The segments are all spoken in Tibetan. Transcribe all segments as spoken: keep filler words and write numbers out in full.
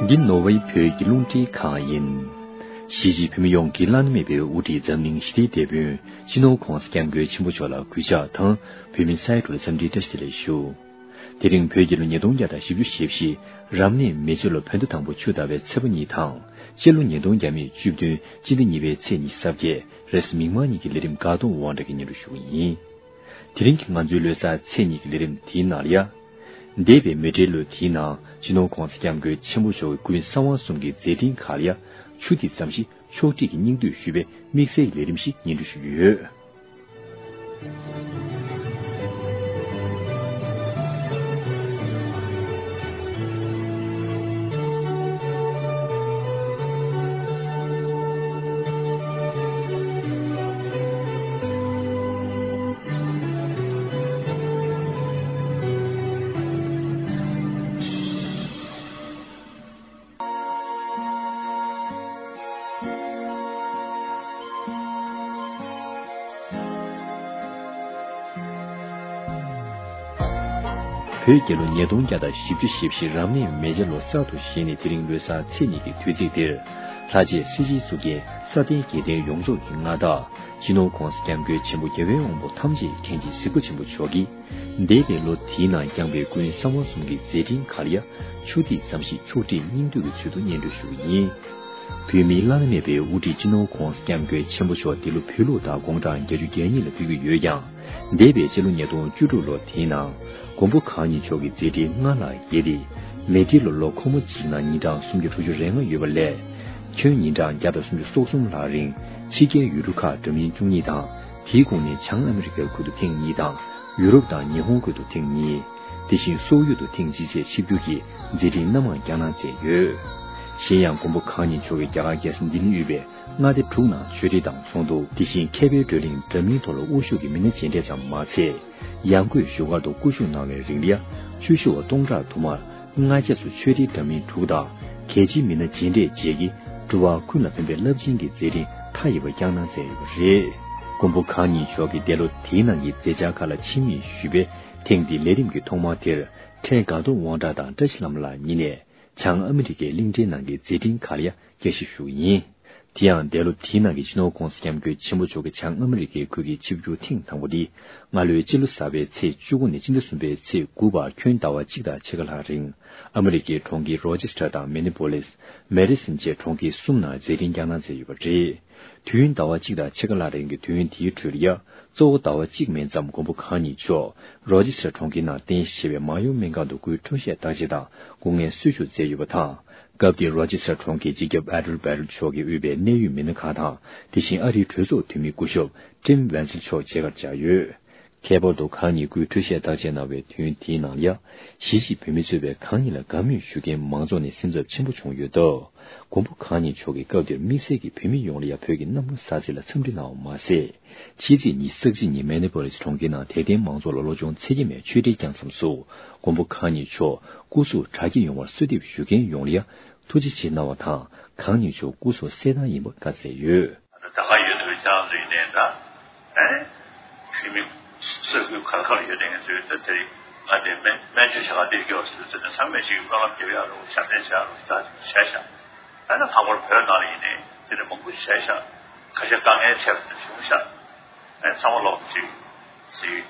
འདི་ནོར་ཝེ་བོད་ཀྱི་རླུང་འཕྲིན་ཁང་ཡིན། གཞིས་བྱེས་བོད་མི་ཡོངས་ཀྱི་བླ་ན་མེད་པའི་དབུ་ཁྲིད་འཛམ་གླིང་ཞི་བདེའི་དེད་དཔོན་སྤྱི་ནོར་༸གོང་ས་༸སྐྱབས་མགོན་ཆེན་པོ་མཆོག་ལ་གུས་ཕྱག་དང་བོད་མི་སའི་གྲོགས་འཚམས་འདྲིའི་བཀྲ་ཤིས་བདེ་ལེགས་ཞུ། དེ་རིང་བོད་རྒྱལ་ལོ་ཉིས་སྟོང་བརྒྱ་དང་བཞི་བཅུ་ཞེ་བཞི། རབ་གནས་མེ་བྱ་ལོ་བོད་ཟླ་དང་པོ་ཆུ་ཟླ་བའི་ཚེས་པ་གཉིས་དང་། སྤྱི་ལོ་ཉིས་སྟོང་བརྒྱ་མེད་བཅུ་བདུན་སྤྱི་ཟླ་གཉིས་པའི་ཚེས་ཉི་ཤུ་རྩ་བརྒྱད་རེས་གཟའ་མིག་དམར་ཉིན་གྱི་ལས་རིམ་དགའ་གདོང་དབང་གྲགས་ཀྱིས་སྙན་སྒྲོན་ཞུ་གི་ཡིན། དེ་རིང་གི་ང་ཚོའི་ལོ་གསར་ཚེས་གཉིས་ཀྱི་ལས་རིམ་དེའི་ནང་ལ་ཡ། འདས་པའི་མེ་སྤྲེལ་ལོ་དེའི་ནང་སྤྱི་ནོར་༸གོང་ས་༸སྐྱབས་མགོན་ཆེན་པོ་མཆོག་གི་སྐུའི་གསང་བ་གསུམ་གྱི་མཛད་འཕྲིན་ཁག་ལ་ཡ། ཆུ་ཐིགས་ཙམ་ཞིག་ཕྱོགས་སྒྲིག་གི་སྙིང་བསྡུས་ཞུས་པའི་དམིགས་བསལ་གྱི་ལས་རིམ་ཞིག་སྙན་སྒྲོན་ཞུ་རྒྱུ་ཡོད། བོད་རྒྱལ་ལོ་ཉིས་སྟོང་བརྒྱ་དང་བཞི་བཅུ་ཞེ་བཞི་རབ་གནས་མེ་བྱ་ལོ་གསར་དུ་བཞེངས་ནས་དེ་རིང་ལོ་གསར་ཚེས་གཉིས་ཀྱི་དུས་ཚིགས་འདིར། ལྷ་རྗེ་སྲས་བཅས་གཙུག་རྒྱན་ས་སྟེང་རྒྱལ་བསྟན་ཡོངས་རྫོགས་ཀྱི་མངའ་བདག་སྤྱི་ནོར་༸གོང་ས་༸སྐྱབས་མགོན་ཆེན་པོ་རྒྱལ་བའི་དབང་པོ་ཐམས་ཅད་མཁྱེན་ཅིང་གཟིགས་པ་ཆེན་པོ་མཆོག་གིས། འདས་པའི་ལོ་དེའི་ནང་བསྐྱངས་པའི་སྐུའི་གསང་བ་གསུམ་གྱི་མཛད་འཕྲིན་ཁག་ལ་ཡ། ཆུ་ཐིགས་ཙམ་ཞིག་ཕྱོགས་སྒྲིག་སྙིང་བསྡུས་ཀྱི་ཚུལ་དུ་སྙན་སྒྲོན་ཞུ་གི་ཡིན། བོད་མིའི་བླ་ན་མེད་པའི་དབུ་ཁྲིད་སྤྱི་ནོར་༸གོང་ས་༸སྐྱབས་མགོན་ཆེན་པོ་མཆོག་འདི་ལོ་བོད་ལུགས་ཟླ་དགུང་གྲངས་བརྒྱད་ཅུ་གྱ་གཉིས་ལ་ཕེབས་ཀྱི་ཡོད་ཀྱང་། འདས་པའི་སྤྱི་ལོ་ཉིས་སྟོང་བཅུ་དྲུག་ལོ་དེའི་ནང་། མགོན་པོ་གང་ཉིད་མཆོག་གི་མཛད་འཕྲིན་སྔར་ལྷག་རྒྱས་ཏེ། མེ་སྤྲེལ་ལོ་ལོ་འཁོར་མོ་གཅིག་ནང་ཉིན་གྲངས་སུམ་བརྒྱ་དྲུག་ཅུ་རེ་ལྔ་ཡོད་པ་ལས། ཁྱོན་ཉིན་གྲངས་བརྒྱ་དང་སུམ་ཅུ་སོ་གསུམ་ལྷག་རིང་ཕྱི་རྒྱལ་ཡུལ་གྲུ་ཁག་འདྲ་མིན་བཅུ་གཉིས་དང་། དེའི་ཁོངས་ནས་བྱང་ཨ་མི་རི་ཀའི་ཁུལ་དུ་ཐེངས་གཉིས་དང་། ཡུ་རོབ་དང་ཉི་ཧོང་ཁུལ་དུ་ཐེངས་གཉིས། དེ་བཞིན་སོག་ཡུལ་དུ་ཐེངས་གཅིག་བཅས་ཆིབས་བསྒྱུར་གྱིས་མཛད་འཕྲིན་སྣ་མང་བསྐྱངས་གནང་མཛད་ཡོད། གཞན་ཡང་མགོན་པོ་གང་ཉིད་མཆོག་གིས་རྒྱ་གར་རྒྱལ་ས་ལྡི་ལིར་ཡོད་པའི་མངའ་སྡེ་དྲུག་ནང་ཆོས་ཁྲིད་དང་ཚོགས་འདུ། དེ་བཞིན་མཁས་པའི་བགྲོ་གླེང་འདྲ་མིན་ཐོག་ལ་དབུ་བཞུགས་ཀྱིས་མི་སྣ་མཇལ་འཕྲད་ཙམ་མ་ཚད། ཡང་སྒོས་བཞུགས་སྒར་དུ་སྐུ་བཞུགས་གནང་བའི་རིང་ལ་ཡ། བཅུ་བཞི་བ་སྟོང་ཕྲག་དུ་མར་སྔ་རྗེས་སུ་ཆོས་ཁྲིད་འདྲ་མིན་དྲུག་དང་། གལ་ཆེའི་མི་སྣ་མཇལ་འཕྲད་བཅས་ཀྱིས་འགྲོ་བ་ཀུན་ལ་ཕན་པའི་རླབས་ཆེན་གྱི་མཛད་འཕྲིན་མཐའ་ཡས་པ་བསྐྱངས་གནང་མཛད་ཡོད་པ་རེད། མགོན་པོ་གང་ཉིད་མཆོག་གིས་འདས་ལོ་དེའི་ནང་གི་མཛད་འཆར་ཁག་ལ་ཕྱི་མིག་ཞུས་པས། ཐེངས་འདིའི་ལས་རིམ་གྱི་ཐོག་མ་དེར། འཕྲལ་དགའ་གདོང་དབང་གྲགས་དང་བཀྲ་ཤིས་ལྷ་མོ་ལགས་གཉིས་ནས་བྱང་ཨ་མི་རི་ཀའི་གླིང་ཕྲན་ནང་གི་མཛད་འཕྲིན་ཁག་ལ་ཡ་བསྐྱར་ཞིབ་ཞུ་གི་ཡིན། དེ་ཡང་འདས་ལོ་དེའི་ནང་གི་སྤྱི་ནོར་༸གོང་ས་༸སྐྱབས་མགོན་ཆེན་པོ་མཆོག་གིས་བྱང་ཨ་མི་རི་ཀའི་ཁུལ་གྱི་ཆིབས་བསྒྱུར་ཐེངས་དང་པོ་འདི། སྔ་ལོའི་སྤྱི་ལོ་གསར་པའི་ཚེས་བཅུ་དགུ་ནས་སྤྱི་ཟླ་གསུམ་པའི་ཚེས་དགུ་བར་ཁྱོན་ཟླ་བ་གཅིག་དང་ཕྱེད་ཀ་ལྷག་རིང་། ཨ་མི་རི་ཀའི་གྲོང་ཁྱེར་རོ་ཅེ་སི་ཊར་དང་མི་ནི་པོ་ལིས། མེ་ཌི་སོན་བཅས་གྲོང་ཁྱེར་གསུམ་ནང་མཛད་འཕྲིན་བསྐྱངས་གནང་མཛད་ཡོད་པ་རེད། དུས་ཡུན་ཟླ་བ་གཅིག་དང་ཕྱེད་ཀ་ལྷག་རིང་གི་དུས་ཡུན་དེའི་ཁྲོད་ལ་ཡ། གཙོ་བོ་ཟླ་བ་གཅིག་མིན་ཙམ་མགོན་པོ་གང་ཉིད་མཆོག་རོ་ཅེ་སི་ཊར་གྲོང་ཁྱེར་ནང་རྟེན་གཞི་བྱས་པའི་མར་ཡོང་སྨན་ཁང་དུ་སྐུའི་འཕྲོད་བཞེས་བརྟག་དཔྱད་དང་སྐུ་ངལ་གསོ་བཅུག་མཛད་ཡོད་པ་དང་། སྐབས་དེར་རོ་ཅེ་སི་ཊར་གྲོང་ཁྱེར་སྤྱི་ཁྱབ་ཨེ་ཌལ་བྷེ་རལ་མཆོག་གིས་དབུས་པའི་གནད་ཡོད་མི་སྣ་ཁག་དང་། དེ་བཞིན་ཨ་རིའི་གྲོས་ཚོགས་འཐུས་མི་སྐུ་ཞབས་ཊིམ་ཝན་སིལ་མཆོག་མཇལ་ཁར་བཅར་ཡོད། ཁྱད་པར་དུ་གང་ཉིད་སྐུའི་འཕྲོད་བཞེས་བརྟག་དཔྱད་གནང་བའི་དུས་ཡུན་དེའི་ནང་ལ་ཡ། གཞིས་བྱེས་བོད་མི་གཙོས་པའི་གང་ཉིད་ལ་དགའ་མོས་ཞུ་མཁན་མང་ཚོགས་ནས་སེམས་འཚབ་ཆེན་པོ་བྱུང་ཡོད་སྟབས། མགོན་པོ་གང་ཉིད་མཆོག་གིས་སྐབས་དེར་དམིགས་བསལ་གྱིས་བོད་མི་ཡོངས་ལ་ཡ་བོད་ཀྱི་གནམ་ལོ་གསར་ཚེས་ལ་འཚམས་འདྲི་གནང་བ་མ་ཟད། ཕྱི་ཚེས་ཉི་ཤུ་རྩ་གཅིག་ཉིན་མེ་ནི་པོ་ལིས་གྲོང་ཁྱེར་ནང་དད་ལྡན་མང་ཚོགས་ལ་བློ་སྦྱོང་ཚིག་བརྒྱ་མའི་ཆོས་འབྲེལ་བསྐྱངས་མཚམས་སུ། མགོན་པོ་གང་ཉིད་མཆོག་སྐུ་གཟུགས་དྲག་སྐྱེད་ཡོང་བར་གསོལ་འདེབས་ཞུ་མཁན་ཡོངས་ལ་ཡ་ཐུགས་རྗེ་ཆེ་གནང་བ་དང་། གང་ཉིད་མཆོག་སྐུ་གཟུགས་གསལ་ཐང་ཡིན་པ་བཀའ་སྩལ་ཡོད། ད་ག་ཡོད་དུས་ཁྱེད་རང་ཚོ་ཡིན་ནའི་ད། ཨེ། བོད་མི་ས་ཁུལ་ག་ལ་ག་ལ་ཡོད་དེ་ང་ཚོའི་ད་དེ་རིང་ང་དེ་སྨན་སྨན་བཅོས་བྱ་ག་འདིར་སྐྱོད་ཟེར་དུས་ཚོད་ནས་ཚང་མས་ཅིག་སྨོན་ལམ་རྒྱབ་ཡག་རོགས་ཞབས་བརྟན་བྱ་རོགས་ད་བྱས་ཤག་ཨ་ནི་ལྷག་པར་བོད་ནང་ལ་ཡིན་ནའི་དེ་འདྲ་མང་པོ་བྱས་ཤག་ཁ་ཤས་དཀའ་ངལ་འཕྲད་པ་བྱུང་ཤག་ཨ་ནི་ཚང་མ་ལོག་ཅིག་ཅིག་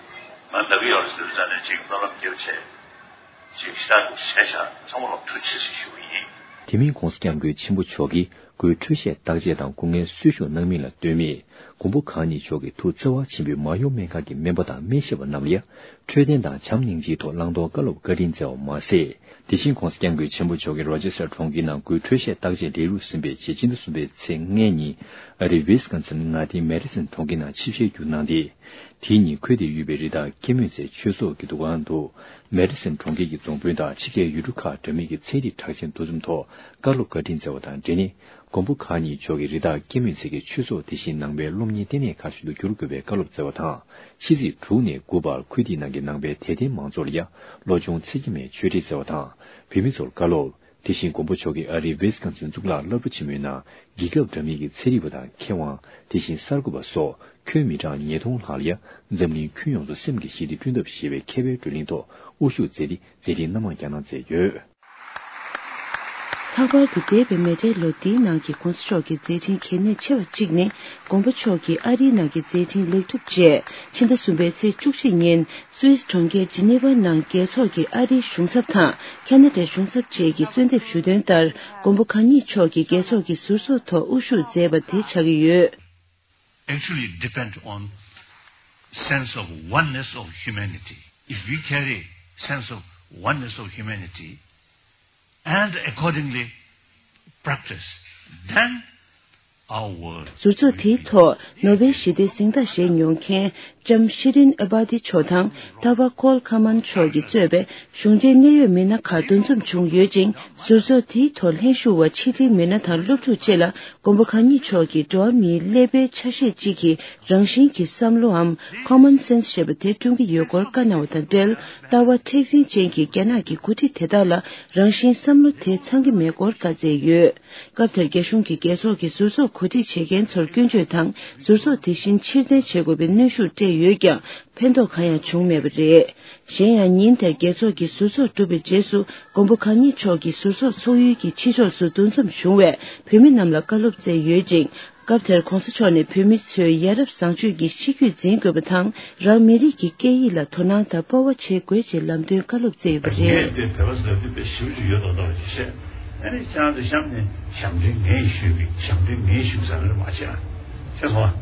ང་ལབ་ཀྱི་ཡོད་རེད་ཟེར་དུས་ཚོད་ནས་ཅིག་སྨོན་ལམ་རྒྱབ་བྱས། ཅིག་ཞེ་དྲག་ཏུ་བྱས་ཤག་ཚང་མ་ལ་ཐུགས་རྗེ་ཆེ་ཞུ་གི་ཡིན། དེ་མིན་༸གོང་ས་༸སྐྱབས་མགོན་ཆེན་པོ་མཆོག་གིས་སྐུའི་འཕྲོད་བཞེས་བརྟག་དཔྱད་དང་སྐུ་ངལ་གསོ་བཅུག་གནང་མིན་ལ་ལྟོས་མེད། མགོན་པོ་གང་ཉིད་མཆོག་གི་ཐུགས་བརྩེ་བ་ཆེན་པོས་མར་ཡོང་སྨན་ཁང་གི་སྨན་པ་དང་སྨན་ཞབས་པ་རྣམས་ལ་ཡ། འཕྲོད་བསྟེན་དང་བྱམས་སྙིང་རྗེའི་ཐོག་བླང་དོར་བཀའ་སློབ་བཀའ་དྲིན་སྩལ་བ་མ་ཟད། དེ་བཞིན་༸གོང་ས་༸སྐྱབས་མགོན་ཆེན་པོ་མཆོག་གིས་རོ་ཅེ་སི་ཊར་གྲོང་ཁྱེར་ནང་སྐུའི་འཕྲོད་བཞེས་བརྟག་དཔྱད་ལས་རིམ་ཟིན་པའི་རྗེས་སྤྱི་ཟླ་གསུམ་པའི་ཚེས་ལྔའི་ཉིན་ཨ་རིའི་ཝི་སི་ཀོན་སིན་མངའ་སྡེའི་མེ་ཌི་སོན་གྲོང་ཁྱེར་ནང་ཆིབས་ཞལ་བསྒྱུར་གནང་སྟེ། དེའི་ཉིན་ཁུལ་དེར་ཡོད་པའི་རི་དྭགས་སྐྱེད་མོས་ཚལ་ཆོས་ཚོགས་ཀྱི་འདུ་ཁང་དུ། མེ་ཌི་སོན་གྲོང་ཁྱེར་གྱི་རྫོང་དཔོན་དང་ཕྱི་རྒྱལ་ཡུལ་གྲུ་ཁག་འདྲ་མིན་གྱི་ཚན་རིག་གྲགས་ཅན་འདུ་འཛོམས་ཐོག་བཀའ་སློབ་བཀའ་དྲིན་སྩལ་བ་དང་འབྲེལ་ནས། མགོན་པོ་གང་ཉིད་མཆོག་གིས་རི་དྭགས་སྐྱེད་མོས་ཚལ་གྱི་ཆོས་ཚོགས་དེ་བཞིན་ནང་པའི་སློབ་གཉེར་ལྟེ་གནས་ཁག་ཞིག་ཏུ་འགྱུར་དགོས་པའི་བཀའ་སློབ་སྩལ་བ་དང་། ཕྱི་ཚེས་དྲུག་ནས་དགུ་བར་ཁུལ་དེའི་ནང་གི་ནང་པའི་དད་ལྡན་མང་ཚོགས་ལ་ཡ། བློ་སྦྱོང་ཚིག་བརྒྱ་མའི་ཆོས་འབྲེལ་སྩལ་བ་དང་། བོད་མི་ཚོར་བཀའ་སློབ། དེ་བཞིན་མགོན་པོ་མཆོག་གིས་ཨ་རིའི་ཝི་སི་ཀོན་སིན་གཙུག་ལག་སློབ་གྲྭ་ཆེན་མོའི་ནང་རྒྱལ་ཁབ་འདྲ་མིན་གྱི་ཚན་རིག་པ་དང་མཁས་དབང་། དེ་བཞིན་གསར་འགོད་པ་སོགས་ཁྱོན་མི་གྲངས་ཉིས་སྟོང་ལྷག་ལ་ཡ། འཛམ་གླིང་ཁྱོན་ཡོངས་སུ་སེམས་ཀྱི་ཞི་བདེ་བསྐྲུན་ཐབས་ཞེས་པའི་མཁས་པའི་བགྲོ་གླེང་ཐོག་དབུ་བཞུགས་མཛད་དེ་མཛད་འཕྲིན་སྣ་མང་བསྐྱངས་གནང་མཛད་ཡོད། ལྷག་པར་དུ་འདས་པའི་མེ་ཌའི་ལོ་འདིའི་ནང་གི་༸གོང་ས་མཆོག་གི་མཛད་འཕྲིན་གལ་གནད་ཆེ་བ་གཅིག་ནི་མགོན་པོ་མཆོག་གིས་ཨ་རིའི་ནང་གི་མཛད་འཕྲིན་ལེགས་གྲུབ་རྗེས་ཕྱི་ཟླ་གསུམ་པའི་ཚེས་བཅུ་གཅིག་ཉིན་སུད་སི་གྲོང་ཁྱེར་ཇི་ནི་ཝ་ནང་རྒྱལ་ཚོགས་ཀྱི་ཨ་རིའི་གཞུང་ཚབ་དང་ཁ་ན་ཌའི་གཞུང་ཚབ་བཅས་ཀྱིས་གསོལ་འདེབས་ཞུ་དོན་ལྟར་མགོན་པོ་གང་ཉིད་མཆོག་གིས་རྒྱལ་ཚོགས་ཀྱི་ཟུར་ཚོགས་ཐོག་དབུ་བཞུགས་མཛད་པ་དེ་ཆགས་ཀྱི་ཡོད། Actually depend on sense of oneness of humanity. If we carry sense of oneness of humanity and accordingly practice, then our world ཟུར་ཚོགས་དེའི་ཐོག་ནོ་བེལ་ཞི་བདེའི་གཟེངས་རྟགས་བཞེས་མྱོང་མཁན་ལྕམ་ཤི་རིན་ཨེ་བྷ་ཏི་མཆོག་དང་ལྟ་བ་ཀོལ་ཁ་མན་མཆོག་གིས་གཙོས་པའི་གཞུང་འབྲེལ་གནད་ཡོད་མི་སྣ་ཁག་འདུ་འཛོམས་བྱུང་ཡོད་ཅིང་། ཟུར་ཚོགས་དེའི་ཐོག་ལྷན་ཞུགས་པ་ཕྱི་དྲིལ་མི་སྣ་དང་སློབ་ཕྲུག་བཅས་ལ་མགོན་པོ་གང་ཉིད་མཆོག་གིས་འགྲོ་བ་མིའི་ཀླད་པའི་ཆ་ཤས་གཅིག་གི་རང་བཞིན་གྱི་བསམ་བློའམ་Common Sense ཞེས་པ་དེ་བསྐྲུན་གྱི་ཡོད་སྐོར་བཀའ་གནང་བ་དང་འབྲེལ། ལྟ་བ་མཁྲེགས་འཛིན་ཅན་གྱི་རྒྱ་ནག་གི་འགོ་ཁྲིད་དེ་དག་ལ་རང་བཞིན་བསམ་བློ་དེ་ཚང་གི་མེད་སྐོར་བཀའ་སྩལ་ཡོད། སྐབས་དེར་རྒྱ་གཞུང་གིས་རྒྱལ་ཚོགས་ཀྱི་ཟུར་ཚོགས་གོ་སྒྲིག་བྱེད་མཁན་ཚོར་སྐྱོན་བརྗོད་དང་ཟུར་ཚོགས་དེ་བཞིན་ཕྱིར་འཐེན་བྱེད་དགོས་པའི་གནོན་ཤུགས་སྤྲད་ཡོད་ཀྱང་ཕན་ཐོགས་གང་ཡང་བྱུང་མེད་པ་རེད། གཞན་ཡང་ཉིན་དེར་རྒྱལ་ཚོགས་ཀྱི་ཟུར་ཚོགས་གྲུབ་པའི་རྗེས་སུ་མགོན་པོ་གང་ཉིད་མཆོག་གིས་ཟུར་ཚོགས་ཚོགས་ཡུལ་གྱི་ཕྱི་ཕྱོགས་སུ་འདུ་འཛོམས་བྱུང་བའི་བོད་མི་རྣམས་ལ་བཀའ་སློབ་སྩལ་ཡོད་ཅིང་། སྐབས་དེར་༸གོང་ས་མཆོག་ནས་བོད་མི་ཚོས་ཡ་རབས་བཟང་སྤྱོད་ཀྱི་གཤིས་རྒྱུད་འཛིན་དགོས་པ་དང་། རང་མི་རིགས་ཀྱི་སྐད་ཡིག་ལ་དོ་སྣང་དང་སྤོབས་པ་བྱེད་དགོས་ཅེས་ལམ་སྟོན་བཀའ་སློབ་སྩལ་ཡོད་པ་རེད། ངས་དེ་བོད་པ་ཟེར་དུས་དཔེ་ཞིབ་ཅིག་ཡོད་མདོག་མདོག་ཅིག་བཤད། ཨ་ནི་ཁྱེད་རང་ཚོ་གཤམ་ནས་ཞབས་འདྲེན་ངས་ཞུས་པའི་ཞབས་འདྲེན་ངས་ཞུས་ཟེར་ནས་མ་བཤད་ཨ། ཤེས་སོང་ཨ།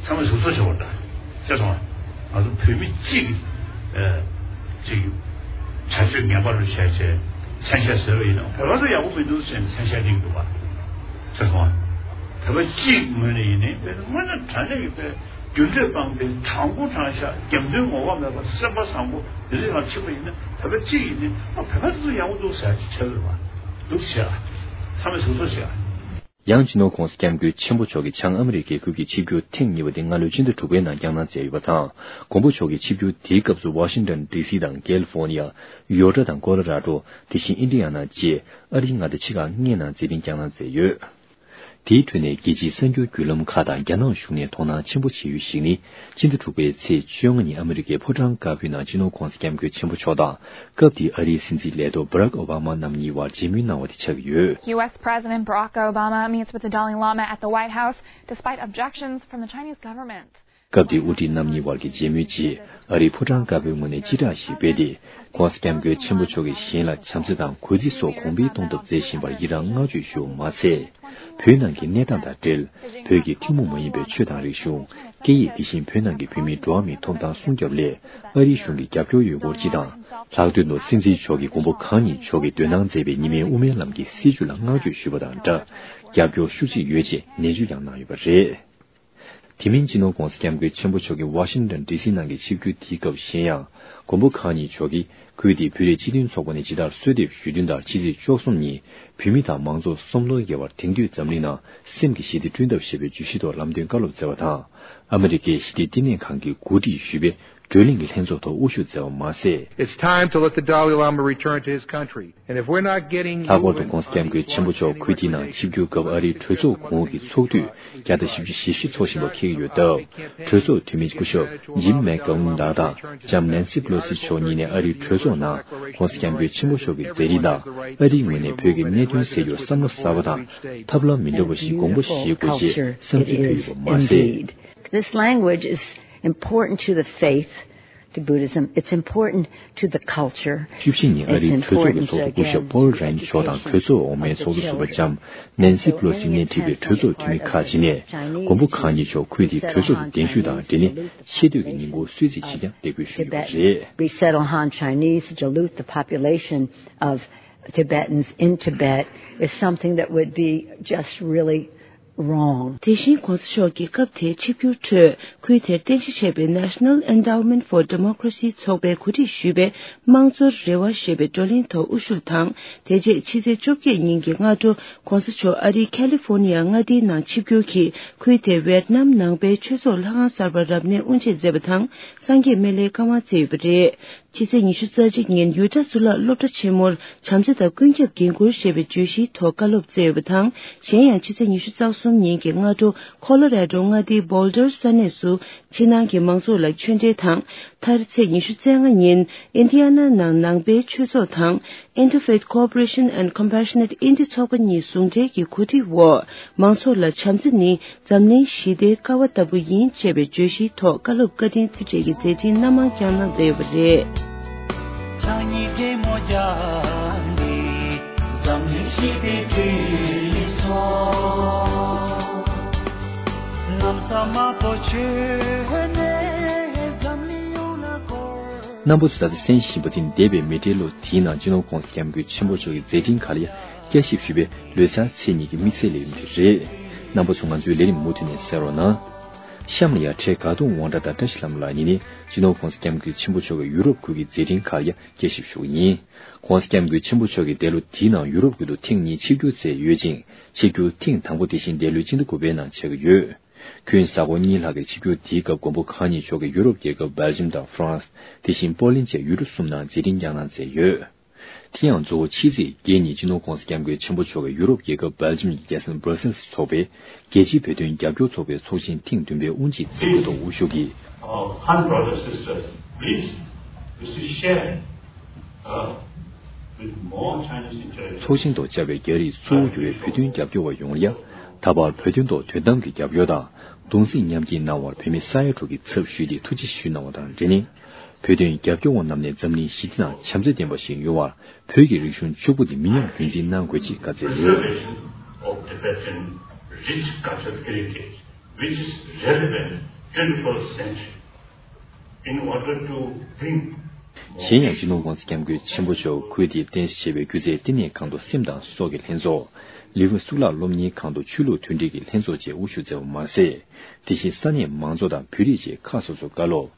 ཚང་མས་ཟུར་ཚོགས་བྱེད་པ་འདྲ། ཤེས་སོང་ཨ། ང་ཚོ་བོད་མི་གཅིག་གི་ཨ་ཅིག་བྱ་སྤྱོད་ངན་པ་རུ་བྱས་བྱས་མཚན་ཤས་བཟོས་པ་ཡིན་ན་བོད་པ་ཚོ་ཡག་པོ་མི་འདུག་ཟེར་ནས་མཚན་ཤས་སྟེར་གྱི་འདུག་ག་ཤེས་སོང་ཨ། བོད་པ་གཅིག་ངོས་ནས་ཡིན་ནའི་དཔེ་དངོས་གནས་དྲང་གནས་ཀྱི་དཔེ་རྒྱུ་འབྲས་སྤངས་པའི་དྲང་པོ་དྲང་བཞག་རྒྱབ་མདུན་ངོ་བོ་མེད་པ་སེམས་པ་བཟང་པོ་འདི་འདྲ་ཡང་ཕྱིན་པ་ཡིན་ན་བོད་པ་གཅིག་ཡིན་ནའི་ཨ་བོད་པ་ཚོ་ཡག་པོ་འདུག་ཟེར་ཡག་ཅིག་ཆགས་ཀྱི་རེད་པ། འདུག་ཟེར་ཨ། ཚང་མས་ཟུར་ཚོགས་བྱེད་ཨ། ཡང་སྤྱི་ནོར་༸གོང་ས་༸སྐྱབས་མགོན་ཆེན་པོ་མཆོག་གིས་བྱང་ཨ་མི་རི་ཀའི་ཁུལ་གྱི་ཆིབས་བསྒྱུར་ཐེངས་གཉིས་པ་དེ་སྔ་ལོའི་ཕྱི་ཟླ་དྲུག་པའི་ནང་བསྐྱངས་གནང་མཛད་ཡོད་པ་དང་། མགོན་པོ་མཆོག་གི་ཆིབས་བསྒྱུར་དེའི་སྐབས་སུ་ཝ་ཤིང་ཊོན་ཌི་སི་དང་ཀལ་ལི་ཧྥོར་ནི་ཡ། ཡོ་ཊ་དང་ཀོ་ལོ་ར་ཌོ། དེ་བཞིན་ཨིན་ཌི་ཡ་ན་བཅས་ཨ་རིའི་མངའ་སྡེ་ཕྱེད་ཀ་ལྔའི་ནང་མཛད་འཕྲིན་བསྐྱངས་གནང་མཛད་ཡོད། དེའི་ཁྲོད་ནས་རྒྱལ་སྤྱིའི་གསར་འགྱུར་བརྒྱུད་ལམ་ཁག་དང་རྒྱ་ནག་གཞུང་ནས་དོ་སྣང་ཆེན་པོ་བྱེད་ཡུལ་ཞིག་ནི། ཕྱི་ཟླ་དྲུག་པའི་ཚེས་བཅོ་ལྔ་ཉིན་ཨ་མི་རི་ཀའི་ཕོ་བྲང་དཀར་པོའི་ནང་སྤྱི་ནོར་༸གོང་ས་༸སྐྱབས་མགོན་ཆེན་པོ་མཆོག་དང་། སྐབས་དེའི་ཨ་རིའི་སྲིད་འཛིན་ལས་ཐོག་བྷ་རག་ཨོ་བྷ་མ་རྣམ་གཉིས་བར་མཇལ་མོལ་གནང་བ་དེ་ཆགས་ཀྱི་ཡོད། U S President Barack Obama meets with the Dalai Lama at the White House despite objections from the Chinese government. སྐབས་དེའི་དབུ་ཁྲིད་རྣམ་གཉིས་བར་གྱི་མཇལ་མོལ་རྗེས། ཨ་རིའི་ཕོ་བྲང་དཀར་པོའི་ངོས་ནས་སྤྱི་བསྒྲགས་ཤིག་སྤེལ་ཏེ། ༸གོང་ས་༸སྐྱབས་མགོན་ཆེན་པོ་མཆོག་གིས་གཞན་ལ་བྱམས་བརྩེ་དང་གུས་བརྩི་སོགས་གོང་འཕེལ་གཏོང་ཐབས་མཛད་བཞིན་པར་ཡི་རངས་བསྔགས་བརྗོད་ཞུ་བ་མ་ཚད། བོད་ནང་གི་གནས་སྟངས་དང་འབྲེལ། བོད་ཀྱི་ཐུན་མོང་མ་ཡིན་པའི་ཆོས་དང་རིག་གཞུང་། སྐད་ཡིག་དེ་བཞིན་བོད་ནང་གི་བོད་མིའི་འགྲོ་བ་མིའི་ཐོབ་ཐང་སྲུང་སྐྱོབ་སླད་ཨ་རིའི་གཞུང་གི་རྒྱབ་སྐྱོར་ཡོད་སྐོར་སྤྱི་དང་། ལྷག་དོན་དུ་སྲིད་འཛིན་མཆོག་གིས་མགོན་པོ་གང་ཉིད་མཆོག་གིས་འདོན་གནང་མཛད་པའི་ཉི་མའི་དབུ་མའི་ལམ་གྱི་སྲིད་བྱུས་ལ་བསྔགས་བརྗོད་ཞུས་པ་དང་སྦྲགས། རྒྱབ་སྐྱོར་ཤུགས་ཆེ་ཡོད་ཅེས་ནན་བརྗོད་ཀྱང་གནང་ཡོད་པ་རེད། དེ་མིན་སྤྱི་ནོར་༸གོང་ས་༸སྐྱབས་མགོན་ཆེན་པོ་མཆོག་གི་ཝ་ཤིང་ཊོན་ཌི་སི་ནང་གི་ཆིབས་བསྒྱུར་དེའི་སྐབས་གཞན་ཡང་། མགོན་པོ་གང་ཉིད་མཆོག་གིས་ཁུལ་དེའི་བོད་རིགས་སྤྱི་མཐུན་ཚོགས་པ་ནས་ཇི་ལྟར་གསོལ་འདེབས་ཞུས་དོན་ལྟར་ཕྱི་ཚེས་བཅུ་གསུམ་ཉིན་བོད་མི་དང་མང་ཚོགས་སོམ་ལོག་བརྒལ་བར་དེང་དུས་འཛམ་གླིང་ནང་སེམས་ཀྱི་ཞི་བདེ་བསྐྲུན་ཐབས་ཞེས་པའི་བརྗོད་གཞིའི་ཐོག་ལམ་སྟོན་བཀའ་སློབ་སྩལ་བ་དང་། ཨ་མི་རི་ཀའི་ཞི་བདེ་བསྟི་གནས་ཁང་གིས་གོ་སྒྲིག་ཞུས་པའི་བགྲོ་གླེང་གི་ལྷན་ཚོགས་ཐོག་དབུ་བཞུགས་མཛད་པ་མ་ཟད། It's time to let the Dalai Lama return to his country. And if we're not getting you and ལྷག་པར་དུ་༸གོང་ས་༸སྐྱབས་མགོན་ཆེན་པོ་མཆོག་ཁུལ་དེའི་ནང་ཆིབས་བསྒྱུར་སྐབས་ཨ་རིའི་གྲོས་ཚོགས་གོང་འོག་གི་ཚོགས་དུས་བརྒྱ་དང་བཞི་བཅུ་ཞེ་བཞི་འཚོགས་བཞིན་པ་འཁེལ་གྱི་ཡོད་སྟབས། གྲོས་ཚོགས་འཐུས་མི་སྐུ་ཞབས་ཇིམ་མེག་གྷ་ཝིན་ལགས་དང་ལྕམ་ནན་སི་པེ་ལོ་སི་མཆོག་གཉིས་ནས་ཨ་རིའི་གྲོས་ཚོགས་ནང་༸གོང་ས་༸སྐྱབས་མགོན་ཆེན་པོ་མཆོག་གི་མཛད་རིམ་དང་ཨ་རིའི་ངོས་ནས་བོད་ཀྱི་གནད་དོན་སེལ་རྒྱུར་བསམ་བློ་གསར་པ་དང་ཐབས་ལམ་མི་འདྲ་བ་ཞིག་དགོངས་པ་བཞེས་དགོས་ཅེས་བསམ་ཚུལ་ཕུལ་ཡོད་པ་མ་ཟད། This language is important to the faith, to Buddhism. It's important to the culture. བཅུ་བཞི་ཉིན་ཨ་རིའི་གྲོས་ཚོགས་ཀྱི་ཚོགས་གཙོ་སྐུ་ཞབས་པོལ་རན་མཆོག་དང་གྲོས་ཚོགས་འོག་མའི་ཚོགས་གཙོ་ཟུར་པ་ལྕམ་ནན་སི་པེ་ལོ་སི་སྣེ་ཁྲིད་པའི་གྲོས་ཚོགས་འཐུས་མི་ཁག་ཅིག་ནས་མགོན་པོ་གང་ཉིད་མཆོག་ཁུལ་དེའི་གྲོས་ཚོགས་ཀྱི་གདན་ཞུ་དང་འབྲེལ་ནས་ཆེ་བསྟོད་ཀྱི་ཉིན་གུང་གསོལ་ཚིགས་ཤིག་ཀྱང་འདེགས་འབུལ་ཞུས་ཡོད་པ་རེད། Resettle Han Chinese, dilute the population of Tibetans in Tibet is something that would be just really wrong. དེ་བཞིན་༸གོང་ས་མཆོག་གིས་སྐབས་དེའི་ཆིབས་བསྒྱུར་ཁྲོད་ཁུལ་དེར་རྟེན་གཞི་བྱས་པའི་National Endowment for Democracy ཚོགས་པས་གོ་སྒྲིག་ཞུས་པའི་དམངས་གཙོར་རེ་བ་ཞེས་པའི་བགྲོ་གླེང་ཐོག་དབུ་བཞུགས་དང་། དེ་རྗེས་ཕྱི་ཚེས་བཅོ་བརྒྱད་ཉིན་གྱི་སྔ་དྲོ་༸གོང་ས་མཆོག་ཨ་རིའི་ཁ་ལི་ཧྥོ་ནི་ཡ་མངའ་སྡེའི་ནང་ཆིབས་བསྒྱུར་གྱིས་ཁུལ་དེའི་ཝེད་ནམ་ནང་པའི་ཆོས་ཚོགས་ལྷ་ཁང་གསར་པར་རབ་གནས་དབུ་འབྱེད་མཛད་པ་དང་། སངས་རྒྱས་སྨན་བླའི་བཀའ་དབང་སྩལ་ཡོད་པ་རེད། ཕྱི་ཚེས་ཉི་ཤུ་རྩ་གཅིག་ཉིན་ཡུ་ཊ་གཙུག་ལག་སློབ་གྲྭ་ཆེན་མོར་བྱམས་བརྩེ་དང་ཀུན་ཁྱབ་འགན་འཁུར་ཞེས་པའི་བརྗོད་གཞིའི་ཐོག་བཀའ་སློབ་སྩལ་ཡོད་པ་དང་། གཞན་ཡང་ཕྱི་ཚེས་ཉི་ཤུ་རྩ་གསུམ་ཉིན་གྱི་སྔ་དྲོ་ཁོ་ལོ་ར་ཌོ་མངའ་སྡེའི་བྷོལ་ཌར་ས་གནས་སུ་ཕྱི་ནང་གི་མང་ཚོགས་ལ་ཆོས་འབྲེལ་དང་། མཐར་ཚེས་ཉི་ཤུ་རྩ་ལྔ་ཉིན་ཨིན་ཌི་ཡ་ན་ནང་ནང་པའི་ཆོས་ཚོགས་དང་། Interfaith Cooperation and Compassionate India ཚོགས་པ་གཉིས་ཟུང་འབྲེལ་གྱི་གོ་སྒྲིག་འོག་མང་ཚོགས་ལ་བྱམས་བརྩེ་ནི་འཛམ་གླིང་ཞི་བདེའི་ཀ་བ་ལྟ་བུ་ཡིན་ཅེས་པའི་བརྗོད་གཞིའི་ཐོག་བཀའ་སློབ་བཀའ་དྲིན་ཐུགས་རྗེ་ཡི་མཛད་འཕྲིན་སྣ་མང་བསྐྱངས་གནང་མཛད་ཡོད་པ་རེད། ཕྱག་གཉིས་གྲོས་མོལ་རྒྱབ་ནས་འཛམ་གླིང་ཞི་བདེའི་གྲོས་ཚོགས་གནམ་ས་མ་གཏོགས་ཆོས་ནས་འཛམ་གླིང་ཡོངས་ལ་བསྐོར། རྣམ་པ་ཚོས་ད་ལྟ་གསན་བཞིན་པ་དེ་འདས་པའི་མེ་སྤྲེལ་ལོ་དེའི་ནང་སྤྱི་ནོར་༸གོང་ས་༸སྐྱབས་མགོན་ཆེན་པོ་མཆོག་གི་མཛད་འཕྲིན་ཁག་ལ་བསྐྱར་ཞིབ་ཞུས་པའི་ལོ་གསར་ཚེས་གཉིས་ཀྱི་དམིགས་བསལ་ལས་རིམ་དེ་རེད། རྣམ་པ་ཚོ་ང་ཚོའི་ལས་རིམ་མུ་མཐུད་ནས་གསན་རོགས་གནང་། གཤམ་ལ་ཡང་འཕྲལ་དགའ་གདོང་དབང་གྲགས་དང་བཀྲ་ཤིས་ལྷ་མོ་ལགས་གཉིས་ནས་སྤྱི་ནོར་༸གོང་ས་༸སྐྱབས་མགོན་ཆེན་པོ་མཆོག་གིས་ཡུ་རོབ་ཁུལ་གྱི་མཛད་འཕྲིན་ཁག་ལ་ཡང་བསྐྱར་ཞིབ་ཞུ་གི་ཡིན། ༸གོང་ས་༸སྐྱབས་མགོན་ཆེན་པོ་མཆོག་གིས་འདས་ལོ་འདིའི་ནང་ཡུ་རོབ་ཁུལ་དུ་ཐེངས་གཉིས་ཆིབས་བསྒྱུར་མཛད་ཡོད་ཅིང་། ཆིབས་བསྒྱུར་ཐེངས་དང་པོ་དེ་བཞིན་འདས་ལོའི་སྤྱི་ཟླ་དགུ་པའི་ནང་བྱས་ཀྱི་ཡོད། ཁོའི་གཟའ་འཁོར་གཉིས་ལྷག་གི་ཆིབས་བསྒྱུར་དེའི་སྐབས་མགོན་པོ་གང་ཉིད་མཆོག་གིས་ཡུ་རོབ་རྒྱལ་ཁབ་སྦེལ་ཇམ་དང་ཧྥ་རན་སི། དེ་བཞིན་པོ་ལན་བཅས་ཡུལ་གྲུ་གསུམ་ནང་མཛད་འཕྲིན་བསྐྱངས་གནང་མཛད་ཡོད། དེ་ཡང་གཙོ་བོ་ཕྱི་ཚེས་བརྒྱད་ཉིན་སྤྱི་ནོར་༸གོང་ས་༸སྐྱབས་མགོན་ཆེན་པོ་མཆོག་གིས་ཡུ་རོབ་རྒྱལ་ཁབ་སྦེལ་ཇམ་གྱི་རྒྱལ་ས་བྷར་སེལ་སུ་འཚོགས་པའི་རྒྱལ་སྤྱིའི་བོད་དོན་རྒྱབ་སྐྱོར་ཚོགས་པའི་ཚོགས་ཆེན་ཐེངས་བདུན་པའི་དབུ་འབྱེད་མཛད་སྒོའི་ཐོག་དབུ་བཞུགས་ཀྱིས། Our Han brothers, sisters, please, we should share, uh, with more Chinese interests. ཚོགས་ཆེན་ཐོག་བཅར་བའི་རྒྱ་རིགས་གཙོ་བོ་གྱུར་བའི་བོད་དོན་རྒྱབ་སྐྱོར་བ་ཡོངས་ལ་ཡང་། ད་བར་བོད་དོན་ཐོག་དོན་དམ་གྱི་རྒྱབ་སྐྱོར་དང་། གདུང་སེམས་མཉམ་སྐྱེད་གནང་བར་བོད་མི་ས་ཡ་དྲུག་གི་ཚབ་ཞུས་ཏེ་ཐུགས་རྗེ་ཆེ་ཞུས་གནང་བ་དང་འབྲེལ་ནས། བོད་དོན་རྒྱབ་སྐྱོར་བ་རྣམས་ནས་འཛམ་གླིང་ཞི་བདེ་དང་བྱམས་བརྩེ་ལྡན་པ་ཞིག་ཡོང་བར་བོད་ཀྱི་རིག་གཞུང་ཕྱུག་པོ་འདི་མི་ཉམས་རྒྱུན་འཛིན་གནང་དགོས་ཅེས་བཀའ་སྩལ་ཡོད། Preservation of Tibetan rich cultural heritage, which is relevant twenty-first century, in order to bring གཞན་ཡང་སྤྱི་ནོར་༸གོང་ས་༸སྐྱབས་མགོན་ཆེན་པོ་མཆོག་ཁུལ་དེའི་རྟེན་གཞི་བྱས་པའི་སྒྱུ་རྩལ་བསྟི་གནས་ཁང་དུ་སེམས་དང་སྲོག་གི་ལྷན་ཚོགས། ལི་ཝུ་གཙུག་ལག་སློབ་གཉེར་ཁང་དུ་ཆོས་ལུགས་མཐུན་སྒྲིལ་གྱི་ལྷན་ཚོགས་བཅས་དབུ་བཞུགས་མཛད་པ་མ་ཟད། དེ་བཞིན་ས་གནས་མང་ཚོགས་དང་བོད་རིགས་བཅས་ཁག་སོ་སོར་བཀའ་སློབ།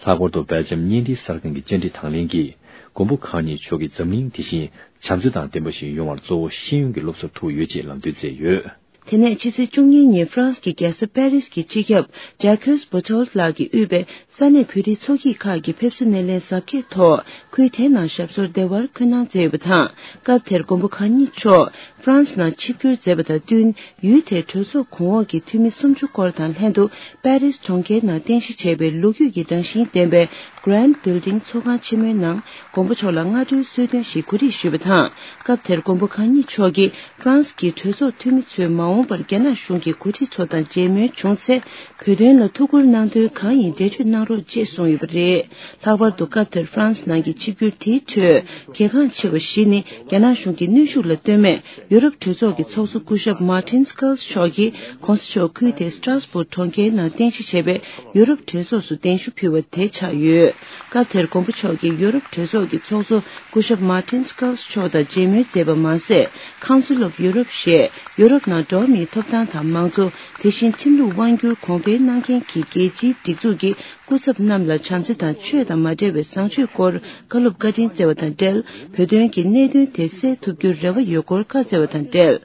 ལྷག་པར་དུ་སྦེལ་ཇམ་བརྙན་འཕྲིན་གསར་ཁང་གི་བཅར་འདྲི་དང་ལེན་གྱིས། མགོན་པོ་གང་ཉིད་མཆོག་གིས་འཛམ་གླིང་དེ་བཞིན་བྱམས་བརྩེ་དང་ལྡན་པ་ཞིག་ཡོང་བར་གཙོ་བོ་ཤེས་ཡོན་གྱི་སློབ་གསོར་ཐུག་ཡོད་ཅེས་ལམ་སྟོན་མཛད་ཡོད། དེ་ནས་ཕྱི་ཚེས་བཅུ་གཉིས་ཉིན་ཧྥ་རན་སི་གི་རྒྱལ་ས་པེ་རིས་ཀྱི་སྤྱི་ཁྱབ་Jacques Boutot ལགས་ཀྱིས་དབུས་པའི་ས་གནས་བོད་རིགས་ཚོགས་སྐྱིད་ཁག་གི་ཕེབས་བསུ་སྣེ་ལེན་གཟབ་རྒྱས་ཐོག་ཁུལ་དེའི་ནང་ཞབས་སོར་བདེ་བར་འཁོད་གནང་མཛད་ཡོད་པ་དང་། སྐབས་དེར་མགོན་པོ་གང་ཉིད་མཆོག་ཧྥ་རན་སི་ནང་ཆིབས་བསྒྱུར་མཛད་པ་དང་བསྟུན། ཡུལ་དེའི་གྲོས་ཚོགས་གོང་འོག་གི་འཐུས་མི་སུམ་ཅུ་སྐོར་དང་ལྷན་དུ་པེ་རིས་གྲོང་ཁྱེར་ནང་རྟེན་གཞི་བྱས་པའི་ལོ་རྒྱུས་ཀྱི་རང་བཞིན་ལྡན་པའི་Grand Building ཚོགས་ཁང་ཆེན་མོའི་ནང་མགོན་པོ་མཆོག་ལ་སྔ་དྲོའི་གསོལ་སྟོན་ཞིག་གོ་སྒྲིག་ཞུས་པ་དང་། སྐབས་དེར་མགོན་པོ་གང་ཉིད་མཆོག་གིས་ཧྥ་རན་སི་གི་གྲོས་ཚོགས་འཐུས་མི་ཚོས་མ་འོངས་པར་རྒྱ་ནག་གཞུང་གི་འགོ་ཁྲིད་ཚོ་དང་མཇལ་མོལ་བྱུང་ཚེ། བོད་དོན་ལ་ཐུགས་ཁུར་གནང་དོན་གང་ཡིན་འགྲེལ་བརྗོད་གནང་རོགས་ཅེས་གསུངས་ཡོད་པ་རེད། ལྷག་པར་དུ་སྐབས་དེར་ཧྥ་རན་སི་ནང་གི་ཆིབས་བསྒྱུར་དེའི་ཁྲོད་གལ་འགངས་ཆེ་བ་བཞི་ནི། རྒྱ་ནག་གཞུང་གི་གནོན་ཤུགས་ལ་ལྟོས་མེད་ཡུ་རོབ་གྲོས་ཚོགས་ཀྱི་ཚོགས་གཙོ་སྐུ་ཞབས་Martin Schulz མཆོག་གིས་གོང་ས་མཆོག་ཁུལ་དེའི་Strasbourg གྲོང་ཁྱེར་ནང་རྟེན་གཞི་བྱས་པའི་ཡུ་རོབ་གྲོས་ཚོགས་སུ་གདན་ཞུ་ཕུལ་བ་དེ་ཆགས་ཡོད། སྐབས་དེར་མགོན་པོ་མཆོག་གིས་ཡུ་རོབ་གྲོས་ཚོགས་ཀྱི་ཚོགས་གཙོ་སྐུ་ཞབས་Martin Schulz མཆོག་དང་མཇལ་མོལ་མཛད་པ་མ་ཟད། Council of Europe ཞེས་ཡུ་རོབ་ནང་འགྲོ་བ་མིའི་ཐོབ་ཐང་དང་མང་གཙོ། དེ་བཞིན་ཁྲིམས་ལུགས་དབང་སྒྱུར་གོང་འཕེལ་གནང་མཁན་གྱི་རྒྱལ་སྤྱིའི་སྒྲིག་འཛུགས་ཀྱི་སྐུ་ཚབ་རྣམས་ལ་བྱམས་བརྩེ་དང་ཆོས་དང་མ་འབྲེལ་བའི་བཟང་སྤྱོད་སྐོར་བཀའ་སློབ་བཀའ་དྲིན་སྩལ་བ་དང་འབྲེལ། བོད་དོན་གྱི་གནད་དོན་དེ་སེལ་ཐུབ་རྒྱུར་རེ་བ་ཡོད་སྐོར་བཀའ་སྩལ་བ་དང་འབྲེལ།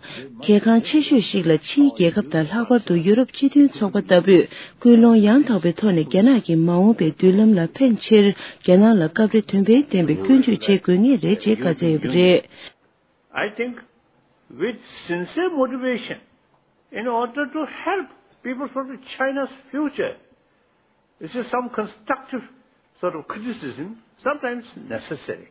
གལ་འགངས་ཆེ་ཤོས་ཤིག་ལ་ཕྱིའི་རྒྱལ་ཁབ་དང་ལྷག་པར་དུ་ཡུ་རོབ་སྤྱི་མཐུན་ཚོགས་པ་ལྟ་བུས་སྐུལ་སློང་ཡང་དག་པའི་ཐོག་ནས་རྒྱ་ནག་གི་མ་འོངས་པའི་མདུན་ལམ་ལ་ཕན་ཆེར་རྒྱ་ནག་ལ་སྐབས་རེ་དོན་ཕན་ལྡན་པའི་སྐྱོན་བརྗོད་བྱེད་དགོས་ངེས་རེད་ཅེས་བཀའ་སྩལ་ཡོད་པ་རེད། I think with sincere motivation, in order to help people for the China's future, this is some constructive sort of criticism, sometimes necessary.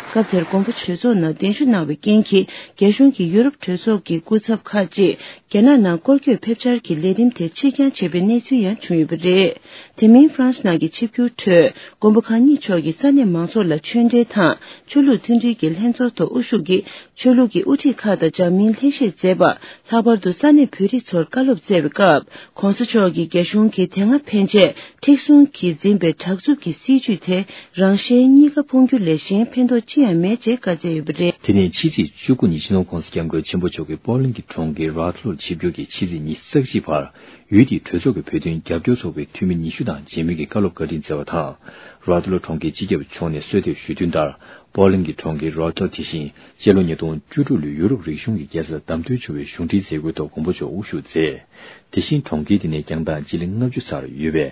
སྐབས་དེར་མགོན་པོ་གྲོས་ཚོགས་ནང་གདན་ཞུ་གནང་བའི་རྐྱེན་གྱིས། རྒྱ་གཞུང་གིས་ཡུ་རོབ་གྲོས་ཚོགས་ཀྱི་སྐུ་ཚབ་ཁག་ཅིག་རྒྱ་ནག་ནང་སྐོར་སྐྱོད་ཕེབས་འཆར་གྱི་ལས་རིམ་དེ་ཕྱིར་འགྱངས་བྱས་པའི་གནས་ཚུལ་ཡང་བྱུང་ཡོད་པ་རེད། དེ་མིན་ཧྥ་རན་སི་ནང་གི་ཆིབས་བསྒྱུར་ཁྲོད། མགོན་པོ་གང་ཉིད་མཆོག་གིས་ས་གནས་མང་ཚོགས་ལ་ཆོས་འབྲེལ་དང་ཆོས་ལུགས་མཐུན་སྒྲིལ་གྱི་ལྷན་ཚོགས་ཐོག་དབུ་བཞུགས་ཀྱིས། ཆོས་ལུགས་ཀྱི་དབུ་ཁྲིད་ཁག་དང་འཛམ་གླིང་ལྷན་བཞུགས་མཛད་པ། ལྷག་པར་དུ་ས་གནས་བོད་རིགས་ཚོར་བཀའ་སློབ་སྩལ་བའི་སྐབས། ྋགོང་ས་མཆོག་གིས་རྒྱ་གཞུང་གིས་དེ་སྔ་ཕན་ཆད་མཁྲེགས་བཟུང་གིས་འཛིན་པའི་དྲག་རྩུབ་ཀྱི་སྲིད་བྱུས་དེ་རང་གཞན་གཉིས་ཀ་ཕུང་རྒྱུ་ལས་གཞན་ཕན་ཐོགས་ཅི་ཡང་མེད་ཅེས་བཀའ་སྩལ་ཡོད་པ་རེད། དེ་ནས་ཕྱི་ཚེས་བཅུ་དགུ་ཉིན་སྤྱི་ནོར་༸གོང་ས་༸སྐྱབས་མགོན་ཆེན་པོ་མཆོག་གིས་པོ་ལན་གྱི་གྲོང་ཁྱེར་རཱ་ཐ་ལོར་ཆིབས་བསྒྱུར་གྱིས་ཕྱི་ཚེས་ཉི་ཤུ་རྩ་གཅིག་བར། ཡུལ་དེའི་གྲོས་ཚོགས་ཀྱི་བོད་དོན་རྒྱབ་སྐྱོར་ཚོགས་པའི་འཐུས་མི་ཉི་ཤུ་དང་མཇལ་མོལ་གྱི་བཀའ་སློབ་བཀའ་དྲིན་སྩལ་བ་དང་། རོ་ཨ་ཏི་ལོ་གྲོང་ཁྱེར་སྤྱི་ཁྱབ་མཆོག་ནས་གསོལ་འདེབས་ཞུས་དོན་ལྟར། པོ་ལན་གྱི་གྲོང་ཁྱེར་རོ་ཨ་ཏི་ལོ་དེ་བཞིན་སྤྱི་ལོ་ཉིས་སྟོང་བཅུ་དྲུག་ལོའི་ཡུ་རོབ་རིག་གཞུང་གི་རྒྱལ་ས་བདམས་ཐོན་བྱུང་བའི་གཞུང་འབྲེལ་མཛད་སྒོའི་ཐོག་མགོན་པོ་མཆོག་དབུ་བཞུགས་མཛད། དེ་བཞིན་གྲོང་ཁྱེར་དེ་ནས་རྒྱང་ཐག་སྤྱི་ལེ་ལྔ་བཅུ་ཙམ་ཡོད་པའི་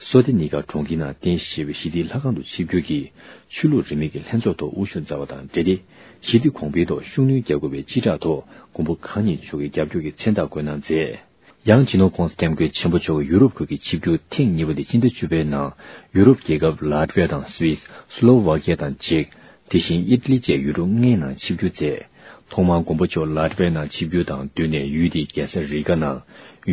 སོ་ཏི་ནི་ཀ་གྲོང་ཁྱེར་ནང་རྟེན་གཞི་བྱས་པའི་ཞི་བདེའི་ལྷ་ཁང་དུ་ཆིབས་བསྒྱུར་གྱིས་ཆོས་ལུགས་རིས་མེད་ཀྱི་ལྷན་ཚོགས་ཐོག་དབུ་བཞུགས་མཛད་པ་དང་འབྲེལ་ཏེ། ཞི་བདེ་གོང་འཕེལ་ཐོག་ཤུགས་སྣོན་རྒྱག་དགོས་པའི་སྤྱི་བསྒྲགས་ཐོག་མགོན་པོ་གང་ཉིད་མཆོག་གི་རྒྱབ་སྐྱོར་གྱི་མཚན་རྟགས་བཀོད་གནང་མཛད། ཡང་སྤྱི་ནོར་༸གོང་ས་༸སྐྱབས་མགོན་ཆེན་པོ་མཆོག་གིས་ཡུ་རོབ་ཁུལ་གྱི་ཆིབས་བསྒྱུར་ཐེངས་གཉིས་པ་དེ་སྤྱི་ཟླ་བཅུ་པའི་ནང་ཡུ་རོབ་རྒྱལ་ཁབ་ལཱ་ཏི་ཝི་ཡ་དང་སུད་སི། སི་ལོ་ཝཱ་ཀི་ཡ་དང་ཅེཀ། དེ་བཞིན་ཨི་ཏ་ལི་བཅས་ཡུལ་གྲུ་ལྔའི་ནང་ཆིབས་བསྒྱུར་མཛད། ཐོག་མར་མགོན་པོ་མཆོག་ལཱ་ཏི་ཝི་ཡ་ནང་ཆིབས་བསྒྱུར་དང་བསྟུན་ནས་ཡུལ་དེའི་རྒྱལ་ས་རི་ག་ནང་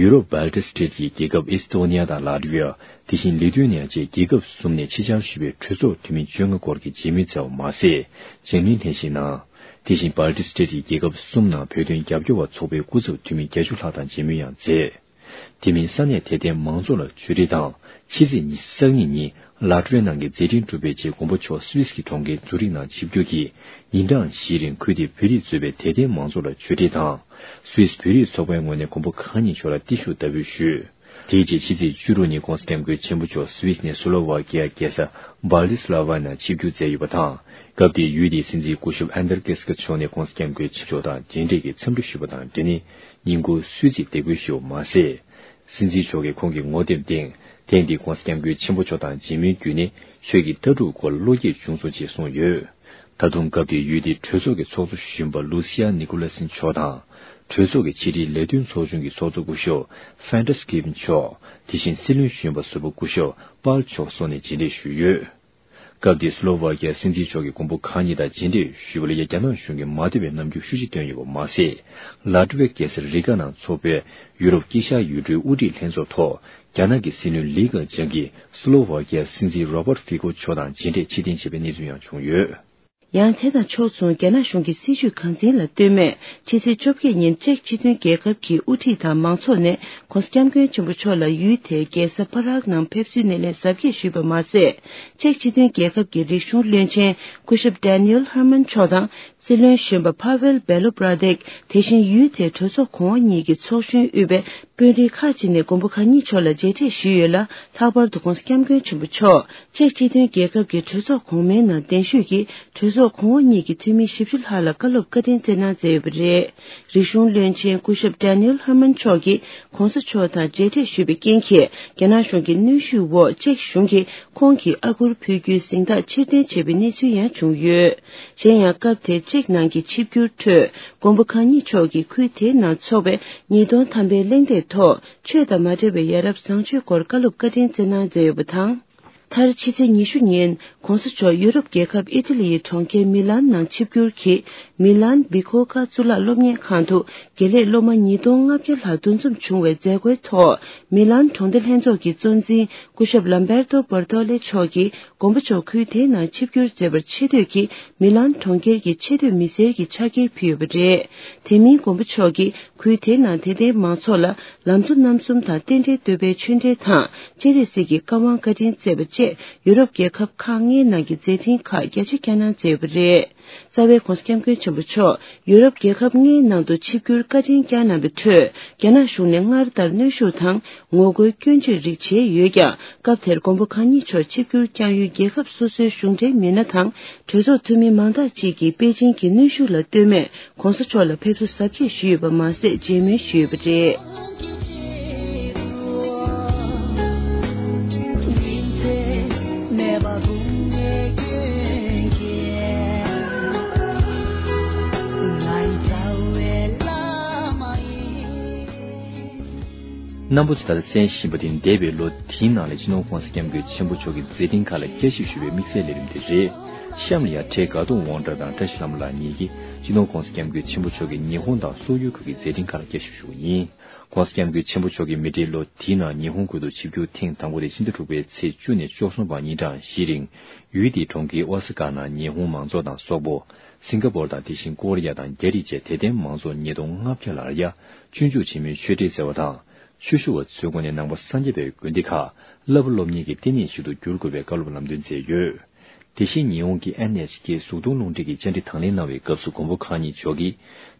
ཡུ་རོབ་སྦལ་ཏིག་སི་ཊེཊ་ཀྱི་རྒྱལ་ཁབ་ཨེ་སི་ཏོ་ནི་ཡ་དང་ལཱ་ཏི་ཝི་ཡ། དེ་བཞིན་ལི་ཐུ་ཨེ་ནི་ཡ་བཅས་རྒྱལ་ཁབ་གསུམ་ནས་ཕྱི་བཅར་ཞུས་པའི་གྲོས་ཚོགས་འཐུས་མི་བཅོ་ལྔ་སྐོར་གྱིས་མཇལ་མོལ་མཛད་པ་མ་ཟད། མཇལ་མོལ་ལྷན་བཞུགས་གནང་། དེ་བཞིན་སྦལ་ཏིག་སི་ཊེཊ་ཀྱི་རྒྱལ་ཁབ་གསུམ་ནང་བོད་དོན་རྒྱབ་སྐྱོར་བ་ཚོགས་པའི་སྐུ་ཚབ་འཐུས་མི་བརྒྱད་ཅུ་ལྷག་དང་མཇལ་མོལ་ཡང་མཛད། དེ་མིན་ས་གནས་དད་ལྡན་མང་ཚོགས་ལ་ཆོས་འབྲེལ་དང་། ཕྱི་ཚེས་ཉི་ཤུ་རྩ་གཉིས་ཉིན་ལཱ་ཏི་ཝི་ཡ་ནང་གི་མཛད་འཕྲིན་གྲུབ་པའི་རྗེས་མགོན་པོ་མཆོག་སུད་སི་གི་གྲོང་ཁྱེར་ཛུ་རིག་ནང་ཆིབས་བསྒྱུར་གྱིས་ཉིན་གྲངས་བཞིའི་རིང་ཁུལ་དེའི་བོད་རིགས་གཙོས་པའི་དད་ལྡན་མང་ཚོགས་ལ་ཆོས་འབྲེལ་དང་། སུད་སི་བོད་རིགས་ཚོགས་པའི་ངོས་ནས་མགོན་པོ་གང་ཉིད་མཆོག་ལ་བརྟན་བཞུགས་བདག་འབུལ་ཞུས། དེའི་རྗེས་ཕྱི་ཚེས་བཅུ་དྲུག་ཉིན་༸གོང་ས་༸སྐྱབས་མགོན་ཆེན་པོ་མཆོག་སུད་སི་ནས་སི་ལོ་ཝཱ་ཀི་ཡ་རྒྱལ་ས་སྦལ་ཏི་སི་ལ་ཝ་ནང་ཆིབས་བསྒྱུར་མཛད་ཡོད་པ་དང་། སྐབས་དེའི་ཡུལ་དེའི་སྲིད་འཛིན་སྐུ་ཞབས་ཨན་དར་ཀེ་སི་ཀ་མཆོག་ནས་༸གོང་ས་༸སྐྱབས་མགོན་ཆེན་པོ་མཆོག་དང་མཇལ་འཕྲད་ཀྱིས་འཚམས་འདྲི་ཞུས་པ་དང་འབྲེལ་ནས་ཉིན་གུང་གསོལ་ཚིགས་འདེགས་འབུལ་ཞུས་པ་མ་ཟད། སྲིད་འཛིན་མཆོག་གིས་ཁོང་གི་ངོ་དེབ་སྟེང་ཐེངས་འདིའི་༸གོང་ས་༸སྐྱབས་མགོན་ཆེན་པོ་མཆོག་དང་མཇལ་མོལ་བརྒྱུད་ནས་ཆོས་ཀྱི་ལྟ་གྲུབ་སྐོར་བློ་སྐྱེད་བྱུང་སོང་ཅེས་གསུངས་ཡོད། ད་དུང་སྐབས་དེའི་ཡུལ་དེའི་གྲོས་ཚོགས་ཀྱི་ཚོགས་གཙོ་གཞོན་པ་ལུ་སི་ཡ་ནི་ཀོ་ལ་སི་མཆོག་དང་། གྲོས་ཚོགས་ཀྱི་ཕྱི་དྲིལ་ལས་དོན་ཚོགས་ཆུང་གི་ཚོགས་གཙོ་སྐུ་ཞབས་ཧྥན་ཏྲ་སི་ཀིབ་མཆོག་དེ་བཞིན་སྲིད་བློན་གཞོན་པ་ཟུར་པ་སྐུ་ཞབས་པཱལ་མཆོག་སོགས་ནས་མཇལ་འཕྲད་ཞུས་ཡོད། སྐབས་དེའི་སི་ལོ་ཝཱ་ཀི་ཡ་སྲིད་འཛིན་མཆོག་གིས་མགོན་པོ་གང་ཉིད་དང་མཇལ་འཕྲད་ཞུས་པ་ལ་ཡ་རྒྱ་ནག་གཞུང་གིས་མ་བསྡད་པའི་རྣམ་འགྱུར་ཤུགས་ཆེ་བཏོན་ཡོད་པ་མ་ཟད། ལཱ་ཏི་ཝི་ཡའི་རྒྱལ་ས་རི་ག་ནང་འཚོགས་པའི་ཡུ་རོབ་དཀྱིལ་ཤར་ཡུལ་གྲུའི་དབུ་ཁྲིད་ལྷན་ཚོགས་ཐོག་རྒྱ་ནག་གི་སྲིད་བློན་ལི་ཁེ་ཆང་གིས་སི་ལོ་ཝཱ་ཀི་ཡ་སྲིད་འཛིན་རོ་བར་ཕི་ཀོ་མཆོག་དང་མཇལ་འཕྲད་ཕྱིར་འཐེན་བྱས་པའི་གནས་ཚུལ་ཡང་བྱུང་ཡོད། ཡང་དེ་དང་ཕྱོགས་མཚུངས་རྒྱ་ནག་གཞུང་གི་སྲིད་བྱུས་འགངས་ཆེན་ལ་ལྟོས་མེད་ཕྱི་ཚེས་བཅོ་བརྒྱད་ཉིན་ཅེཀ་སྤྱི་མཐུན་རྒྱལ་ཁབ་ཀྱི་དབུ་ཁྲིད་དང་མང་ཚོགས་ནས་༸གོང་ས་༸སྐྱབས་མགོན་ཆེན་པོ་མཆོག་ལ་ཡུལ་དེའི་རྒྱལ་ས་པ་རག་ནང་ཕེབས་བསུའི་སྣེ་ལེན་གཟབ་རྒྱས་ཞུས་པ་མ་ཟད། ཅེཀ་སྤྱི་མཐུན་རྒྱལ་ཁབ་ཀྱི་རིག་གཞུང་བློན་ཆེན་སྐུ་ཞབས་ཌེ་ནི་ཨེལ་ཧར་མན་མཆོག་དང་། སྲིད་བློན་གཞོན་པ་ཕ་ཝེལ་བེ་ལོ་བྷ་ར་དེག་དེ་བཞིན་ཡུལ་དེའི་གྲོས་ཚོགས་གོང་འོག་གཉིས་ཀྱི་ཚོགས་གཞོན་དབུས་པའི་དཔོན་རིགས་ཁག་ཅིག་ནས་མགོན་པོ་གང་ཉིད་མཆོག་ལ་མཇལ་འཕྲད་ཞུས་ཡོད་ལ། ལྷག་པར་དུ་༸གོང་ས་༸སྐྱབས་མགོན་ཆེན་པོ་མཆོག་ཅེཀ་སྤྱི་མཐུན་རྒྱལ་ཁབ་ཀྱི་གྲོས་ཚོགས་གོང་མའི་ནང་གདན་ཞུས་ཀྱིས་གྲོས་ཚོགས་གོང་འོག་གཉིས་ཀྱི་འཐུས་མི་བཞི་བཅུ་ལྷག་ལ་བཀའ་སློབ་བཀའ་དྲིན་སྩལ་གནང་མཛད་ཡོད་པ་རེད། རིག་གཞུང་བློན་ཆེན་སྐུ་ཞབས་ཌེ་ནི་ཨེལ་ཧར་མན་མཆོག་གིས་༸གོང་ས་མཆོག་དང་མཇལ་འཕྲད་ཞུས་པའི་རྐྱེན་གྱིས་རྒྱ་ནག་གཞུང་གི་གནོན་ཤུགས་འོག་ཅེཀ་གཞུང་གིས་ཁོང་གིས་ཨ་སྒུར་ཕུལ་རྒྱུའི་གཟེངས་རྟགས་ཕྱིར་འཐེན་བྱས་པའི་གནས་ཚུལ་ཡང་བྱུང་ཡོད། གཞན་ཡང་སྐབས་དེར་ཅེཀ་ནང་གི་ཆིབས་བསྒྱུར་ཁྲོད་མགོན་པོ་གང་ཉིད་མཆོག་གིས་ཁུལ་དེའི་ནང་འཚོགས་པའི་ཉིས་སྟོང་ཐམ་པའི་གླེང་སྟེགས་ཐོག་ཆོས་དང་མ་འབྲེལ་བའི་ཡ་རབས་བཟང་སྤྱོད་སྐོར་བཀའ་སློབ་བཀའ་དྲིན་སྩལ་གནང་མཛད་ཡོད་པ་དང་། མཐར་ཕྱི་ཚེས་ཉི་ཤུ་ཉིན་༸གོང་ས་མཆོག་ཡུ་རོབ་རྒྱལ་ཁབ་ཨི་ཏི་ལི་ཡི་གྲོང་ཁྱེར་མི་ལན་ནང་ཆིབས་བསྒྱུར་གྱིས་མི་ལན་བི་ཁོ་ཀ་གཙུག་ལག་སློབ་གཉེར་ཁང་དུ་དགེ་ལས་སློབ་མ་ཉིས་སྟོང་ལྔ་བརྒྱ་ལྷག་འདུ་འཛོམས་བྱུང་བའི་མཛད་སྒོའི་ཐོག་མི་ལན་གྲོང་སྡེ་ལྷན་ཚོགས་ཀྱི་གཙོ་འཛིན་སྐུ་ཞབས་ལམ་བེར་ཏོ་བར་ཏོ་ལེ་མཆོག་གིས་མགོན་པོ་མཆོག་ཁུལ་དེའི་ནང་ཆིབས་བསྒྱུར་མཛད་པར་ཆེ་བསྟོད་ཀྱིས་མི་ལན་གྲོང་ཁྱེར་གྱི་ཆེ་བསྟོད་མི་སེར་གྱི་ཕྱག་འཁྱེར་ཕུལ་ཡོད་པ་རེད། དེ་མིན་མགོན་པོ་མཆོག་གིས་ཁུལ་དེའི་ནང་དད་ལྡན་མང་ཚོགས་ལ་ལམ་གཙོ་རྣམ་གསུམ་དང་རྟེན་འབྲེལ་བསྟོད་པའི་ཆོས་འབྲེལ་དང་སྤྱན་རས་གཟིགས་ཀྱི་བཀའ་དབང་བཀའ་དྲིན་སྩལ་བ་བཅས་ཡུ་རོབ་རྒྱལ་ཁབ་ཁག་ལྔའི་ནང་གི་མཛད་འཕྲིན་ཁག་རྒྱ་ཆེ་བསྐྱངས་གནང་མཛད་ཡོད་པ་རེད། རྩ་བའི་༸གོང་ས་༸སྐྱབས་མགོན་ཆེན་པོ་མཆོག་ཡུ་རོབ་རྒྱལ་ཁབ་ལྔའི་ནང་དུ་ཆིབས་བསྒྱུར་བཀའ་དྲིན་བསྐྱངས་གནང་བའི་ཁྲོད་རྒྱ་ནག་གཞུང་ནས་སྔར་ལྟར་གནོན་ཤུགས་དང་ངོ་རྒོལ་སྐྱོན་བརྗོད་རིགས་བྱས་ཡོད་ཀྱང་། སྐབས་དེར་མགོན་པོ་གང་ཉིད་མཆོག་ཆིབས་བསྒྱུར་བསྐྱངས་ཡུལ་རྒྱལ་ཁབ་སོ་སོའི་གཞུང་འབྲེལ་མི་སྣ་དང་གྲོས་ཚོགས་འཐུས་མི་མང་དག་ཅིག་གིས་པེ་ཅིང་གི་གནོན་ཤུགས་ལ་ལྟོས་མེད་༸གོང་ས་མཆོག་ལ་ཕེབས་བསུ་གཟབ་རྒྱས་ཞུས་ཡོད་པ་མ་ཟད་མཇལ་མོལ་ཞུས་ཡོད་པ་རེད། རྣམ་པ་ཚོས་ད་ལྟ་གསན་བཞིན་པ་དེ་འདས་པའི་ལོ་དེའི་ནང་ལ་སྤྱི་ནོར་༸གོང་ས་༸སྐྱབས་མགོན་ཆེན་པོ་མཆོག་གི་མཛད་འཕྲིན་ཁག་ལ་བསྐྱར་ཞིབ་ཞུ་བའི་དམིགས་བསལ་ལས་རིམ་དེ་རེད། གཤམ་ལ་ཡང་བཀྲས་དགའ་གདོང་དབང་གྲགས་དང་བཀྲ་ཤིས་ལྷ་མོ་ལགས་གཉིས་ཀྱིས་སྤྱི་ནོར་༸གོང་ས་༸སྐྱབས་མགོན་ཆེན་པོ་མཆོག་གི་ཉི་ཧོང་དང་སོག་ཡུལ་ཁག་གི་མཛད་འཕྲིན་ཁག་ལ་བསྐྱར་ཞིབ་ཞུ་བ་ཡིན། ༸གོང་ས་༸སྐྱབས་མགོན་ཆེན་པོ་མཆོག་གིས་མི་ཏྲའི་ལོ་དེའི་ནང་ཉི་ཧོང་ཁུལ་དུ་ཆིབས་བསྒྱུར་ཐེངས་དང་པོ་དེ་ཕྱི་ཟླ་དྲུག་པའི་ཚེས་བཅུ་ནས་བཅུ་གསུམ་བར་ཉིན་གྲངས་བཞིའི་རིང་ཡུལ་དེའི་གྲོང་ཁྱེར་ཨོ་ས་ཀ་ནང་ཉི་ཧོང་མང་ཚོགས་དང་སོག་པོ། སིང་ག་པོར་དང་དེ་བཞིན་ཀོ་རི་ཡ་དང་རྒྱ་རིགས་བཅས་དད་ལྡན་མང་ཚོགས་ཉིས་སྟོང་ལྔ་བརྒྱ་ལ་ཡ་སྤྱོད་འཇུག་ཆེན་མོའི་ཆོས་འབྲེལ་སྩལ་བ་དང་། ཆོས་ཞུ་བ་ཚོའི་ངོས་ནས་ནང་པ་སངས་རྒྱས་པའི་དགོན་སྡེ་ཁག་བསླབ་པ་སློབ་གཉེར་གྱི་ལྟེ་གནས་ཤིག་ཏུ་འགྱུར་དགོས་པའི་བཀའ་སློབ་ལམ་སྟོན་མཛད་ཡོད། དེ་བཞིན་ཉི་ཧོང་གི་ཨེན་ཨེཆ་ཀེ་གཟུགས་མཐོང་རླུང་འཕྲིན་གྱི་བཅར་འདྲི་དང་ལེན་གནང་བའི་སྐབས་སུ་མགོན་པོ་གང་ཉིད་མཆོག་གིས་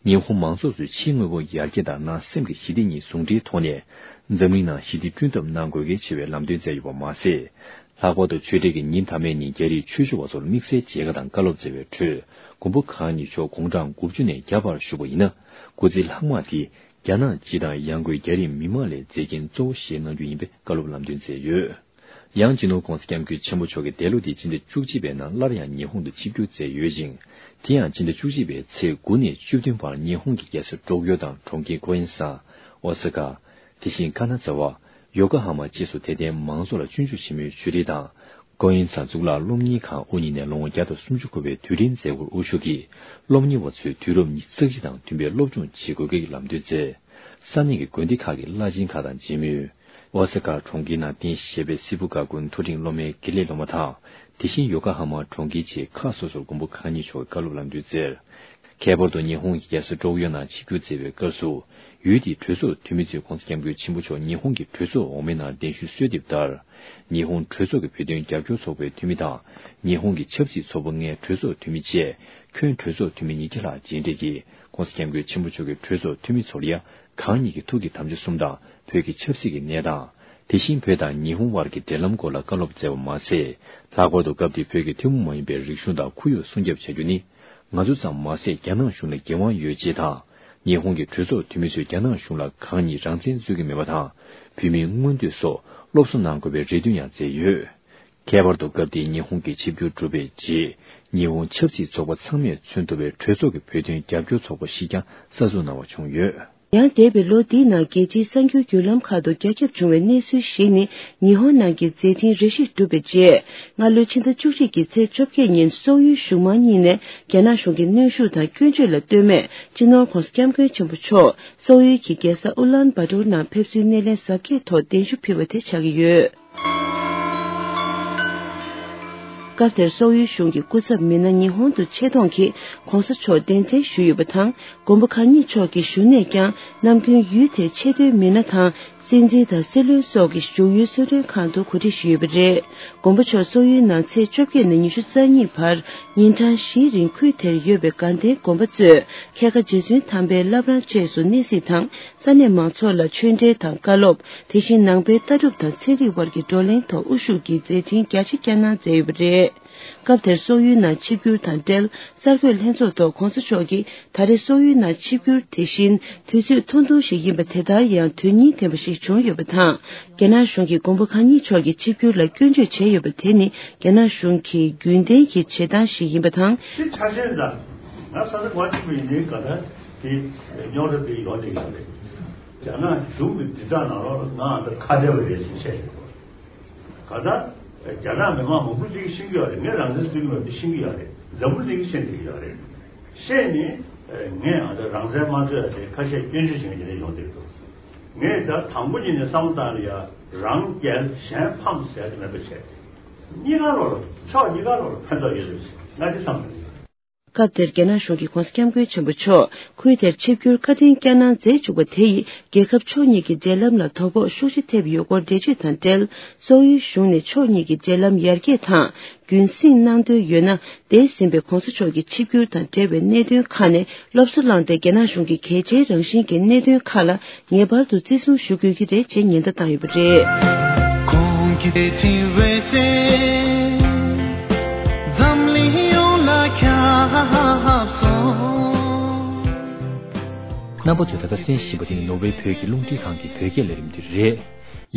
ཉི་ཧོང་མང་ཚོགས་ཚོའི་ཕྱིའི་དངོས་པོ་ཡར་རྒྱས་དང་ནང་སེམས་ཀྱི་ཞི་བདེ་གཉིས་ཟུང་འབྲེལ་ཐོག་ནས་ འཛམ་གླིང་ནང་ཞི་བདེ་བསྐྲུན་ཐབས་གནང་དགོས་གལ་ཆེ་བའི་ལམ་སྟོན་བསྩལ་ཡོད་པ་མ་ཟད། ལྷག་པར་དུ་ཆོས་འབྲེལ་གྱི་ཉིན་མཐའ་མའི་ཉིན་རྒྱ་རིགས་ཆོས་ཞུ་བ་ཚོར་དམིགས་བསལ་མཇལ་ཁ་དང་བཀའ་སློབ་སྩལ་བའི་ཁྲོད། མགོན་པོ་གང་ཉིད་མཆོག་དགུང་གྲངས་དགུ་བཅུ་ནས་བརྒྱ་བར་བཞུགས་པ་ཡིན་ན། སྐུ་ཚེ་ལྷག་མ་དེ་རྒྱ་ནག་སྤྱི་དང་ཡང་སྒོས་རྒྱ་རིགས་མི་མང་ལ་མཛད་འགན་གཙོ་བོ་བཞེས་གནང་རྒྱུ་ཡིན་པའི་བཀའ་སློབ་ལམ་སྟོན་མཛད་ཡོད། ཡང་སྤྱི་ནོར་༸གོང་ས་༸སྐྱབས་མགོན་ཆེན་པོ་མཆོག་གིས་འདས་ལོ་འདིའི་སྤྱི་ཟླ་བཅུ་གཅིག་པའི་ནང་སླར་ཡང་ཉི་ཧོང་དུ་ཆིབས་བསྒྱུར་མཛད་ཡོད་ཅིང་། དེ་ཡང་སྤྱི་ཟླ་བཅུ་གཅིག་པའི་ཚེས་དགུ་ནས་བཅུ་བདུན་བར་ཉི་ཧོང་གི་རྒྱལ་ས་ཀྲོག་ཡོ་དང་གྲོང་ཁྱེར་ཀོ་ཡིན་སན། ཨོ་ས་ཀ། དེ་བཞིན་ཀ་ན་ཛ་བ། ཡོ་ཀ་ཧ་མ་བཅས་སུ་དད་ལྡན་མང་ཚོགས་ལ་སྤྱོད་འཇུག་ཆེན་མོའི་ཆོས་རིགས་དང་། ཀོ་ཡིན་སན་གཙུག་ལག་སློབ་གཉེར་ཁང་དབུ་བརྙེས་ནས་ལོ་ངོ་བརྒྱ་དང་སུམ་ཅུ་འཁོར་བའི་དུས་དྲན་མཛད་སྒོར་དབུ་བཞུགས་ཀྱིས། སློབ་གཉེར་བ་ཚོས་དུས་རབས་ཉི་ཤུ་རྩ་གཅིག་དང་མཐུན་པའི་སློབ་སྦྱོང་བྱེད་དགོས་སྐོར་གྱི་ལམ་སྟོན་མཛད། ས་གནས་ཀྱི་དགོན་སྡེ་ཁག་གི་བླ་ཆེན་ཁག་དང་མཇལ་མོལ། ཨོ་ས་ཀ་གྲོང་ཁྱེར་ནང་རྟེན་གཞི་བྱས་པའི་སི་བུ་ག་གུན་མཐོ་འབྲིང་སློབ་མའི་དགེ་ལས་སློབ་མ་དང་། དེ་བཞིན་ཡོ་ཀ་ཧ་མ་གྲོང་ཁྱེར་བཅས་ཁག་སོ་སོར་མགོན་པོ་གང་ཉིད་མཆོག་གི་བཀའ་སློབ་ལམ་སྟོན་མཛད། ཁྱད་པར་དུ་ཉི་ཧོང་གི་རྒྱལ་ས་ཀྲོག་ཡོ་ནང་ཆིབས་བསྒྱུར་མཛད་པའི་སྐབས་སུ། ཡུལ་དེའི་གྲོས་ཚོགས་འཐུས་མི་ཚོས་༸གོང་ས་༸སྐྱབས་མགོན་ཆེན་པོ་མཆོག་ཉི་ཧོང་གི་གྲོས་ཚོགས་འོག་མའི་ནང་གདན་ཞུ་སྩལ་འདེབས་ལྟར། ཉི་ཧོང་གྲོས་ཚོགས་ཀྱི་བོད་དོན་རྒྱབ་སྐྱོར་ཚོགས་པའི་འཐུས་མི་དང་། ཉི་ཧོང་གི་ཆབ་སྲིད་ཚོགས་པ་ལྔའི་གྲོས་ཚོགས་འཐུས་མི་བཅས། ཁྱོན་གྲོས་ཚོགས་འཐུས་མི་ཉིས་བརྒྱ་ལྷག་མཇལ་འཕྲད་ཀྱིས། ༸གོང་ས་༸སྐྱབས་མགོན་ཆེན་པོ་མཆོག་གི་གྲོས་ཚོགས་འཐུས་མི་ཚོར་ཡང་། གང་ཉིད་ཀྱི་ཐུགས་ཀྱི་དམ་བཅའ་གསུམ་དང་། བོད་ཀྱི་ཆབ་སྲིད་ཀྱི་གནས་སྟངས། དེ་བཞིན་བོད་དང་ཉི་ཧོང་དབར་གྱི་འབྲེལ་ལམ་སྐོར་ལ་བཀའ་སློབ་སྩལ་བ་མ་ཟད། ལྷག་པར་དུ་སྐབས་དེའི་བོད་ཀྱི་ཐུན་མོང་མ་ཡིན་པའི་རིག་གཞུང་དང་ཁོར་ཡུག་སྲུང་སྐྱོབ་བྱ་རྒྱུ་ནི། ང་ཚོ་ཙམ་མ་ཟད་རྒྱ་ནག་གཞུང་ལ་འགན་དབང་ཡོད་ཅེས་དང་། ཉི་ཧོང་གི་གྲོས་ཚོགས་འཐུས་མི་ཚོས་རྒྱ་ནག་གཞུང་ལ་གང་ཉིད་རང་བཙན་རྩོད་ཀྱི་མེད་པ་དང་། བོད་མིའི་མངོན་འདོད་སོགས་སློབ་གསོ་གནང་དགོས་པའི་རེ་འདུན་ཡང་མཛད་ཡོད། ཁྱད་པར་དུ་སྐབས་དེའི་ཉི་ཧོང་གི་ཆིབས་བསྒྱུར་གྲུབ་པའི་རྗེས། ཉི་ཧོང་ཆབ་སྲིད་ཚོགས་པ་ཚང་མས་མཚོན་ཐུབ་པའི་གྲོས་ཚོགས་ཀྱི་བོད་དོན་རྒྱབ་སྐྱོར་ཚོགས་པ་ཞིག་ཀྱང་གསར་འཛུགས་གནང་བ་བྱུང་ཡོད། ཡང་འདས་པའི་ལོ་འདིའི་ནང་རྒྱལ་སྤྱིའི་གསར་འགྱུར་བརྒྱུད་ལམ་ཁག་ཏུ་རྒྱ་ཁྱབ་བྱུང་བའི་གནས་ཚུལ་ཞིག་ནི། ཉི་ཧོང་ནང་གི་མཛད་འཕྲིན་རེ་ཞིག་གྲུབ་པའི་རྗེས། སྔ་ལོའི་ཕྱི་ཟླ་བཅུ་གཅིག་གི་ཚེས་བཅོ་བརྒྱད་ཉིན་སོག་ཡུལ་གཞུང་མང་གཉིས་ནས་རྒྱ་ནག་གཞུང་གི་གནོན་ཤུགས་དང་སྐྱོན་བརྗོད་ལ་ལྟོས་མེད། སྤྱི་ནོར་༸གོང་ས་༸སྐྱབས་མགོན་ཆེན་པོ་མཆོག་སོག་ཡུལ་གྱི་རྒྱལ་ས་ཨུ་ལན་བྷ་ཏོར་ནང་ཕེབས་བསུའི་སྣེ་ལེན་གཟབ་རྒྱས་ཐོག་གདན་ཞུ་ཕུལ་བ་དེ་ཆགས་ཀྱི་ཡོད། སྐབས་དེར་སོག་ཡུལ་གཞུང་གི་སྐུ་ཚབ་མི་སྣ་ཉི་ཧོང་དུ་ཆེད་གཏོང་གིས་༸གོང་ས་མཆོག་གདན་འདྲེན་ཞུས་ཡོད་པ་དང་། མགོན་པོ་གང་ཉིད་མཆོག་གི་བཞུགས་གནས་ཀྱང་ནམ་རྒྱུན་ཡུལ་དེའི་ཆེས་མཐོའི་མི་སྣ་དང་། སྲིད་འཛིན་དང་སྲིད་བློན་སོགས་ཀྱི་བཞུགས་ཡུལ་གསོལ་མགྲོན་ཁང་དུ་གོ་སྒྲིག་ཞུས་ཡོད་པ་རེད། མགོན་པོ་མཆོག་སོག་ཡུལ་ནང་ཚེས་བཅོ་བརྒྱད་ནས་ཉི་ཤུ་རྩ་གཉིས་བར་ཉིན་གྲངས་བཞིའི་རིང་ཁུལ་དེར་ཡོད་པའི་དགའ་ལྡན་དགོན་པ་གཙོས་ཁལ་ཁ་རྗེ་བཙུན་དམ་པའི་བླ་བྲང་བཅས་སུ་གནས་གཟིགས་དང་། ས་གནས་མང་ཚོགས་ལ་ཆོས་འབྲེལ་དང་བཀའ་སློབ། དེ་བཞིན་ནང་པའི་ལྟ་གྲུབ་དང་ཚན་རིག་དབར་གྱི་བགྲོ་གླེང་ཐོག་དབུ་བཞུགས་ཀྱིས་མཛད་འཕྲིན་རྒྱ་ཆེ་བསྐྱངས་གནང་མཛད་ཡོད་པ་རེད། སྐབས་དེར་སོག་ཡུལ་ནང་ཆིབས་བསྒྱུར་དང་འབྲེལ་གསར་འགོད་ལྷན་ཚོགས་ཐོག་༸གོང་ས་མཆོག་གིས་ད་རེས་སོག་ཡུལ་ནང་ཆིབས་བསྒྱུར་དེ་བཞིན་དུས་ཚོད་ཐུང་ཐུང་ཞིག་ཡིན་པ་དེ་ལྟར་ཡང་དོན་སྙིང་ལྡན་པ་ཞིག་བྱུང་ཡོད་པ་དང་། རྒྱ་ནག་གཞུང་གིས་མགོན་པོ་གང་ཉིད་མཆོག་གི་ཆིབས་བསྒྱུར་ལ་སྐྱོན་བརྗོད་བྱས་ཡོད་པ་དེ་ནི་རྒྱ་ནག་གཞུང་གི་རྒྱུན་ལྡན་གྱི་བྱེད་སྟངས་ཤིག་ཡིན་པ་དང་། དེ་ཆ་ཤས་འདྲ། ང་ས་ཆ་ག་ཅིག་པ་ཡིན་ནའི་ག་ད་དེ་རྙོག་དྲ་དེ་ཡོང་བསྡད་ཡོད་རེད། རྒྱ་ནག་གཞུང་གི་དྲིལ་བསྒྲགས་ནང་ལོགས་ལ་ང་ཨ་ད་ཁ་བྲལ་བ་རེད་ཟེར་བཤད་ཡོད། ག་ད་རྒྱ་ནག་མི་མང་མང་པོ་ཅིག་ཤེས་ཀྱི་ཡོད་རེད། ངས་རང་བཙན་རྩོད་ཀྱི་མེད་པ་དེ་ཤེས་ཀྱི་ཡོད་རེད། འཛམ་བུ་གླིང་གིས་ཤེས་བསྡད་ཀྱི་ཡོད་རེད། ཤེས་ནས་ངས་ཨ་ད་རང་བཙན་མ་རྩོད་ཡ་དེ་ཁ་ཤས་སྐྱོན་བརྗོད་བྱེད་མཁན་དེ་འདྲ་ཡོང་བསྡད་འདུག་ངས་ད་དང་པོ་ཉིད་ནས་བསམ་བློ་བཏང་ན་ཡ་རང་རྒྱལ་གཞན་ཕམ་ཟེར་དེ་མེད་པ་བྱས་ཏེ། གཉིས་ཀ་ལོག་ལ་ཕྱོགས་གཉིས་ཀ་ལོག་ལ་ཕན་ཐོགས་ཡོད་རེད་ཟེར་ང་དེ་བསམ་གྱི་ཡོད། སྐབས་དེར་རྒྱ་ནག་གཞུང་གིས་༸གོང་ས་༸སྐྱབས་མགོན་ཆེན་པོ་མཆོག་ཁུལ་དེར་ཆིབས་བསྒྱུར་བཀའ་དྲིན་བསྐྱངས་གནང་མཛད་བཅུག་པ་དེ་ཡིས་རྒྱལ་ཁབ་ཕྱོགས་གཉིས་ཀྱི་འབྲེལ་ལམ་ལ་དོ་ཕོག་ཤུགས་ཆེ་ཐེབས་ཡོད་སྐོར་འགྲེལ་བརྗོད་དང་འབྲེལ། སོག་ཡུལ་གཞུང་ནས་ཕྱོགས་གཉིས་ཀྱི་འབྲེལ་ལམ་ཡར་རྒྱས་དང་རྒྱུན་སྲིང་གནང་འདོད་ཡོད་ན། འདས་ཟིན་པའི་༸གོང་ས་མཆོག་གི་ཆིབས་བསྒྱུར་དང་འབྲེལ་བའི་གནད་དོན་ཁག་ནས་སློབ་གསོ་བླངས་ཏེ་རྒྱ་ནག་གཞུང་གི་གལ་ཆེའི་རང་བཞིན་གྱི་གནད་དོན་ཁག་ལ་ངེས་པར་དུ་བརྩི་སྲུང་ཞུ་དགོས་ཀྱི་རེད་ཅེས་ཉེན་བརྡ་བཏང་ཡོད་པ་རེད། ཁོང་གིས་དེ་དྲིན་བས་ཏེ། འཛམ་གླིང་ཡོངས་ལ་ཁྱབ་སོང་། རྣམ་པ་ཚོས་ད་ལྟ་གསན་བཞིན་པ་དེ་ནི་ནོར་ཝེ་བོད་ཀྱི་རླུང་འཕྲིན་ཁང་གི་བོད་སྐད་ལས་རིམ་དེ་རེད།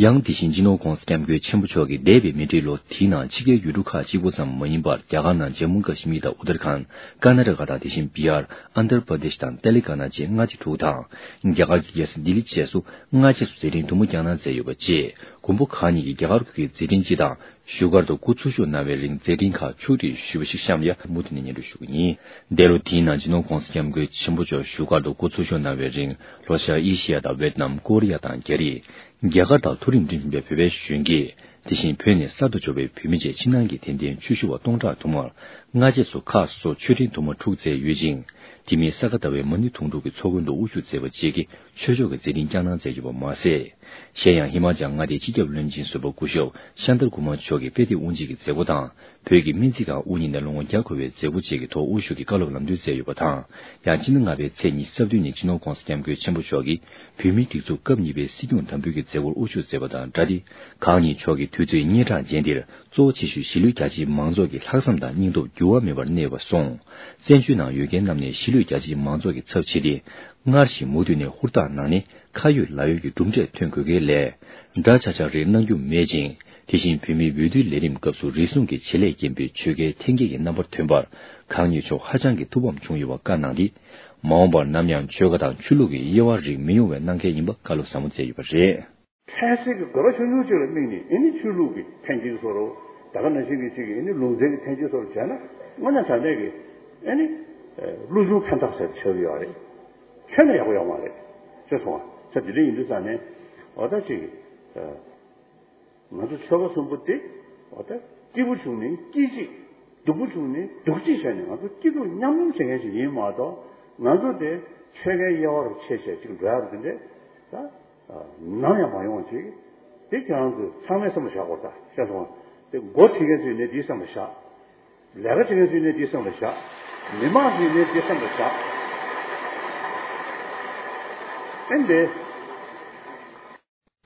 ཡང་དེ་བཞིན་སྤྱི་ནོར་༸གོང་ས་༸སྐྱབས་མགོན་ཆེན་པོ་མཆོག་གིས་འདས་པའི་མེ་འཁྲིག་ལོ་དེའི་ནང་ཕྱི་རྒྱལ་ཡུལ་གྲུ་ཁག་གཅིག་པོ་ཙམ་མ་ཡིན་པར་རྒྱ་གར་ནང་ཇམ་མུ་ཀ་ཤི་མིར་དང་ཨུ་ཏར་ཁཱན། ཀར་ན་ཊ་ཀ་དང་དེ་བཞིན་བི་ཧར། ཨན་དྷྲ་པར་དེཤ་དང་ཏེ་ལེ་ག་ན་བཅས་མངའ་སྡེ་དྲུག་དང་། རྒྱ་གར་གྱི་རྒྱལ་ས་ལྡི་ལི་བཅས་སུ་སྔ་རྗེས་སུ་མཛད་འཕྲིན་དུ་མ་བསྐྱངས་གནང་མཛད་ཡོད་པ་བཅས། མགོན་པོ་གང་ཉིད་ཀྱིས་རྒྱ་གར་ཁུལ་གྱི་མཛད་འཕྲིན་སྤྱི་དང་བཞུགས་སྒར་དུ་སྐུ་འཚོ་བཞུགས་གནང་བའི་རིང་མཛད་འཕྲིན་ཁག་ཕྱོགས་སྒྲིག་ཞུས་པ་ཞིག་གཤམ་ལ་མུ་མཐུད་ནས་སྙན་སྒྲོན་ཞུ་གི་ཡིན། འདས་ལོ་དེའི་ནང་སྤྱི་ནོར་༸གོང་ས་༸སྐྱབས་མགོན་ཆེན་པོ་མཆོག་བཞུགས་སྒར་དུ་སྐུ་འཚོ་བཞུགས་གནང་བའི་རིང་ལྷོ་ཤར་ཨེ་ཤི་ཡ་དང་ཝེད་ནམ། ཀོ་རི་ཡ་དང་རྒྱ་རིགས། རྒྱ་གར་དང་མཐོ་རིམ་འཁྲིད་བཞིན་པའི་བོད་པའི་གཞོན་སྐྱེས། དེ་བཞིན་བོད་ནས་གསར་དུ་འབྱོར་བའི་བོད་མི་བཅས་ཕྱི་ནང་གི་དད་ལྡན་ཆོས་ཞུ་བ་སྟོང་ཕྲག་དུ་མར་སྔ་རྗེས་སུ་ཁག་སོ་སོར་མཆོད་སྤྲིན་དུ་མ་དྲུག་མཛད་ཡོད་ཅིང་། དེ་མིན་ས་ག་ཟླ་བའི་མ་ཎི་དུང་སྒྲུང་གི་ཚོགས་མགོན་དུ་དབུ་བཞུགས་མཛད་པ་བཅས་ཀྱིས། ཆོས་ཕྱོགས་ཀྱི་མཛད་འཕྲིན་བསྐྱངས་གནང་མཛད་ཡོད་པ་མ་ཟད། གཞན་ཡང་ཧི་མ་ཅལ་མངའ་སྡེའི་སྤྱི་ཁྱབ་བློན་ཆེན་ཟུར་པ་སྐུ་ཞབས་ཤཱན་ཏར་ཀུ་མར་མཆོག་གིས་དཔེ་དེབ་དབུ་འབྱེད་ཀྱི་མཛད་སྒོ་དང་། བོད་ཀྱི་སྨན་རྩིས་ཁང་དབུ་བརྙེས་ནས་ལོ་ངོ་བརྒྱ་འཁོར་བའི་མཛད་སྒོ་བཅས་ཀྱི་ཐོག་དབུ་བཞུགས་ཀྱིས་བཀའ་སློབ་ལམ་སྟོན་མཛད་ཡོད་པ་དང་། ཡང་སྤྱི་ཟླ་ལྔ་པའི་ཚེས་ཉི་ཤུ་རྩ་བདུན་ཉིན་སྤྱི་ནོར་༸གོང་ས་༸སྐྱབས་མགོན་ཆེན་པོ་མཆོག་གིས་བོད་མིའི་སྒྲིག་འཛུགས་སྐབས་གཉིས་པའི་སྲིད་སྐྱོང་དམ་འབུལ་གྱི་མཛད་སྒོར་དབུ་བཞུགས་མཛད་པ་དང་སྦྲགས་ཏེ། གང་ཉིད་མཆོག་གིས་དུས་ཚོད་སྙན་གྲགས་ཅན་འདིར། གཙོ་བོ་ཆེ་ཤོས་གཞིས་ལུས་རྒྱ་ཆེའི་མང་ཚོགས་ཀྱི་ལྷག་བསམ་དང་སྙིང་སྟོབས་འགྱུར་བ་མེད་པར་གནས་ཡོད་པ་སོང་། བཙན་བྱོལ་ནང་ཡོད་མཁན་རྣམས་ནས་གཞིས་ལུས་རྒྱ་ཆེའི་མང་ཚོགས་ཀྱི་ཚབ་བྱས་ཏེ། སྔར་བཞིན་མུ་མཐུད་ནས་ཧུར་ཐག་གནང་ནས་ཁ་ཡོད་ལག་ཡོད་ཀྱི་གྲུབ་འབྲས་ཐོན་དགོས་གལ་ལས། འདྲ་ཆགས་ཆགས་རེ་གནང་རྒྱུ་མེད་ཅིང་། དེ་བཞིན་བོད་མིའི་འོས་བསྡུའི་ལས་རིམ་སྐབས་སུ་རེ་ཟུང་གིས་བྱེད་ལས་རྐྱེན་པས་ཆོལ་ཁའི་འཐེན་འཁྱེར་གྱི་རྣམ་པར་ཐོན་པར། གང་ཉིད་མཆོག་ཧ་ཅང་གི་ཐུགས་ཕམ་བྱུང་ཡོད་པ་བཀའ་གནང་སྟེ། མ་འོངས་པར་ནམ་ཡང་ཆོལ་ཁ་དང་ཆོས་ལུགས་ཀྱི་དབྱེ་བ་རིགས་མི་ཡོང་བའི་གནང་གལ་ཡིན་པ་བཀའ་སློབ་ཟབ་མོ་མཛད་ཡོད་པ་རེད། ཕན་སེམས་ཀྱི་དགོས་པ་ཆུང་ཆུང་ཅིག་ལ་དམིགས་ནས། ཨེ་ནི་ཆོས་ལུགས་ཀྱི་འཐེན་འཁྱེར་བཟོ་རོགས། ད་ག་ནང་བཞིན་གྱི་ཅིག་གི་ཨེ་ནི་ལུང་ཚན་གྱི་འཐེན་འཁྱེར་བཟོ་རོགས་བྱས་ན། དངོས་གནས་དྲང་གནས་ཀྱི་ཨེ་ནི་ལུགས་གཞུང་ཕན་ཐོགས་ཟེར་ཆགས་ཀྱི་ཡོད་རེད། ཁྱོན་ནས་ཡག་པོ་ཡོད་མ་རེད། ཤེས་སོང་ང་། ས་དེ་འདྲ་ཡིན་དུས་ཙང་ནས། འོ་ད་ཅིག་ང་ཚོ་ཆོལ་ཁ་གསུམ་པོ་དེ། འོ་ད་སྐྱིད་པོ་བྱུང་ནས་སྐྱིད་ཅིག་སྡུག་པོ་བྱུང་ནས་སྡུག་ཅིག་བྱས་ནས། ང་ཚོ་སྐྱིད་སྡུག་མཉམ་མྱོང་བྱེད་མཁན་ཞིག་ཡིན་མ་གཏོགས། ང་ཚོ་དེ་ཆོལ་ཁའི་དབྱེ་བ་རུ་ཕྱེ་བྱས་ཅིག་འགྲོ་ཡག་དེ་འདྲས་ད་ནམ་ཡང་མ་ཡོང་བ་ཅིག་དེ་ཁྱེད་རང་ཚོས་ཚང་མས་བསམ་བློ་བཞག་དགོས་རེད། ད་ཤེས་སོང་ང་། དེ་འགོ་ཁྲིད་མཁན་ཚོས་ནས་དེ་བསམ་བློ་བཞག་ལས་ཀ་བྱེད་མཁན་ཚོས་ནས་དེ་བསམ་བློ་བཞག་མི་མང་ཚོས་ནས་དེ་བསམ་བློ་བཞག་ཨེ་འདི།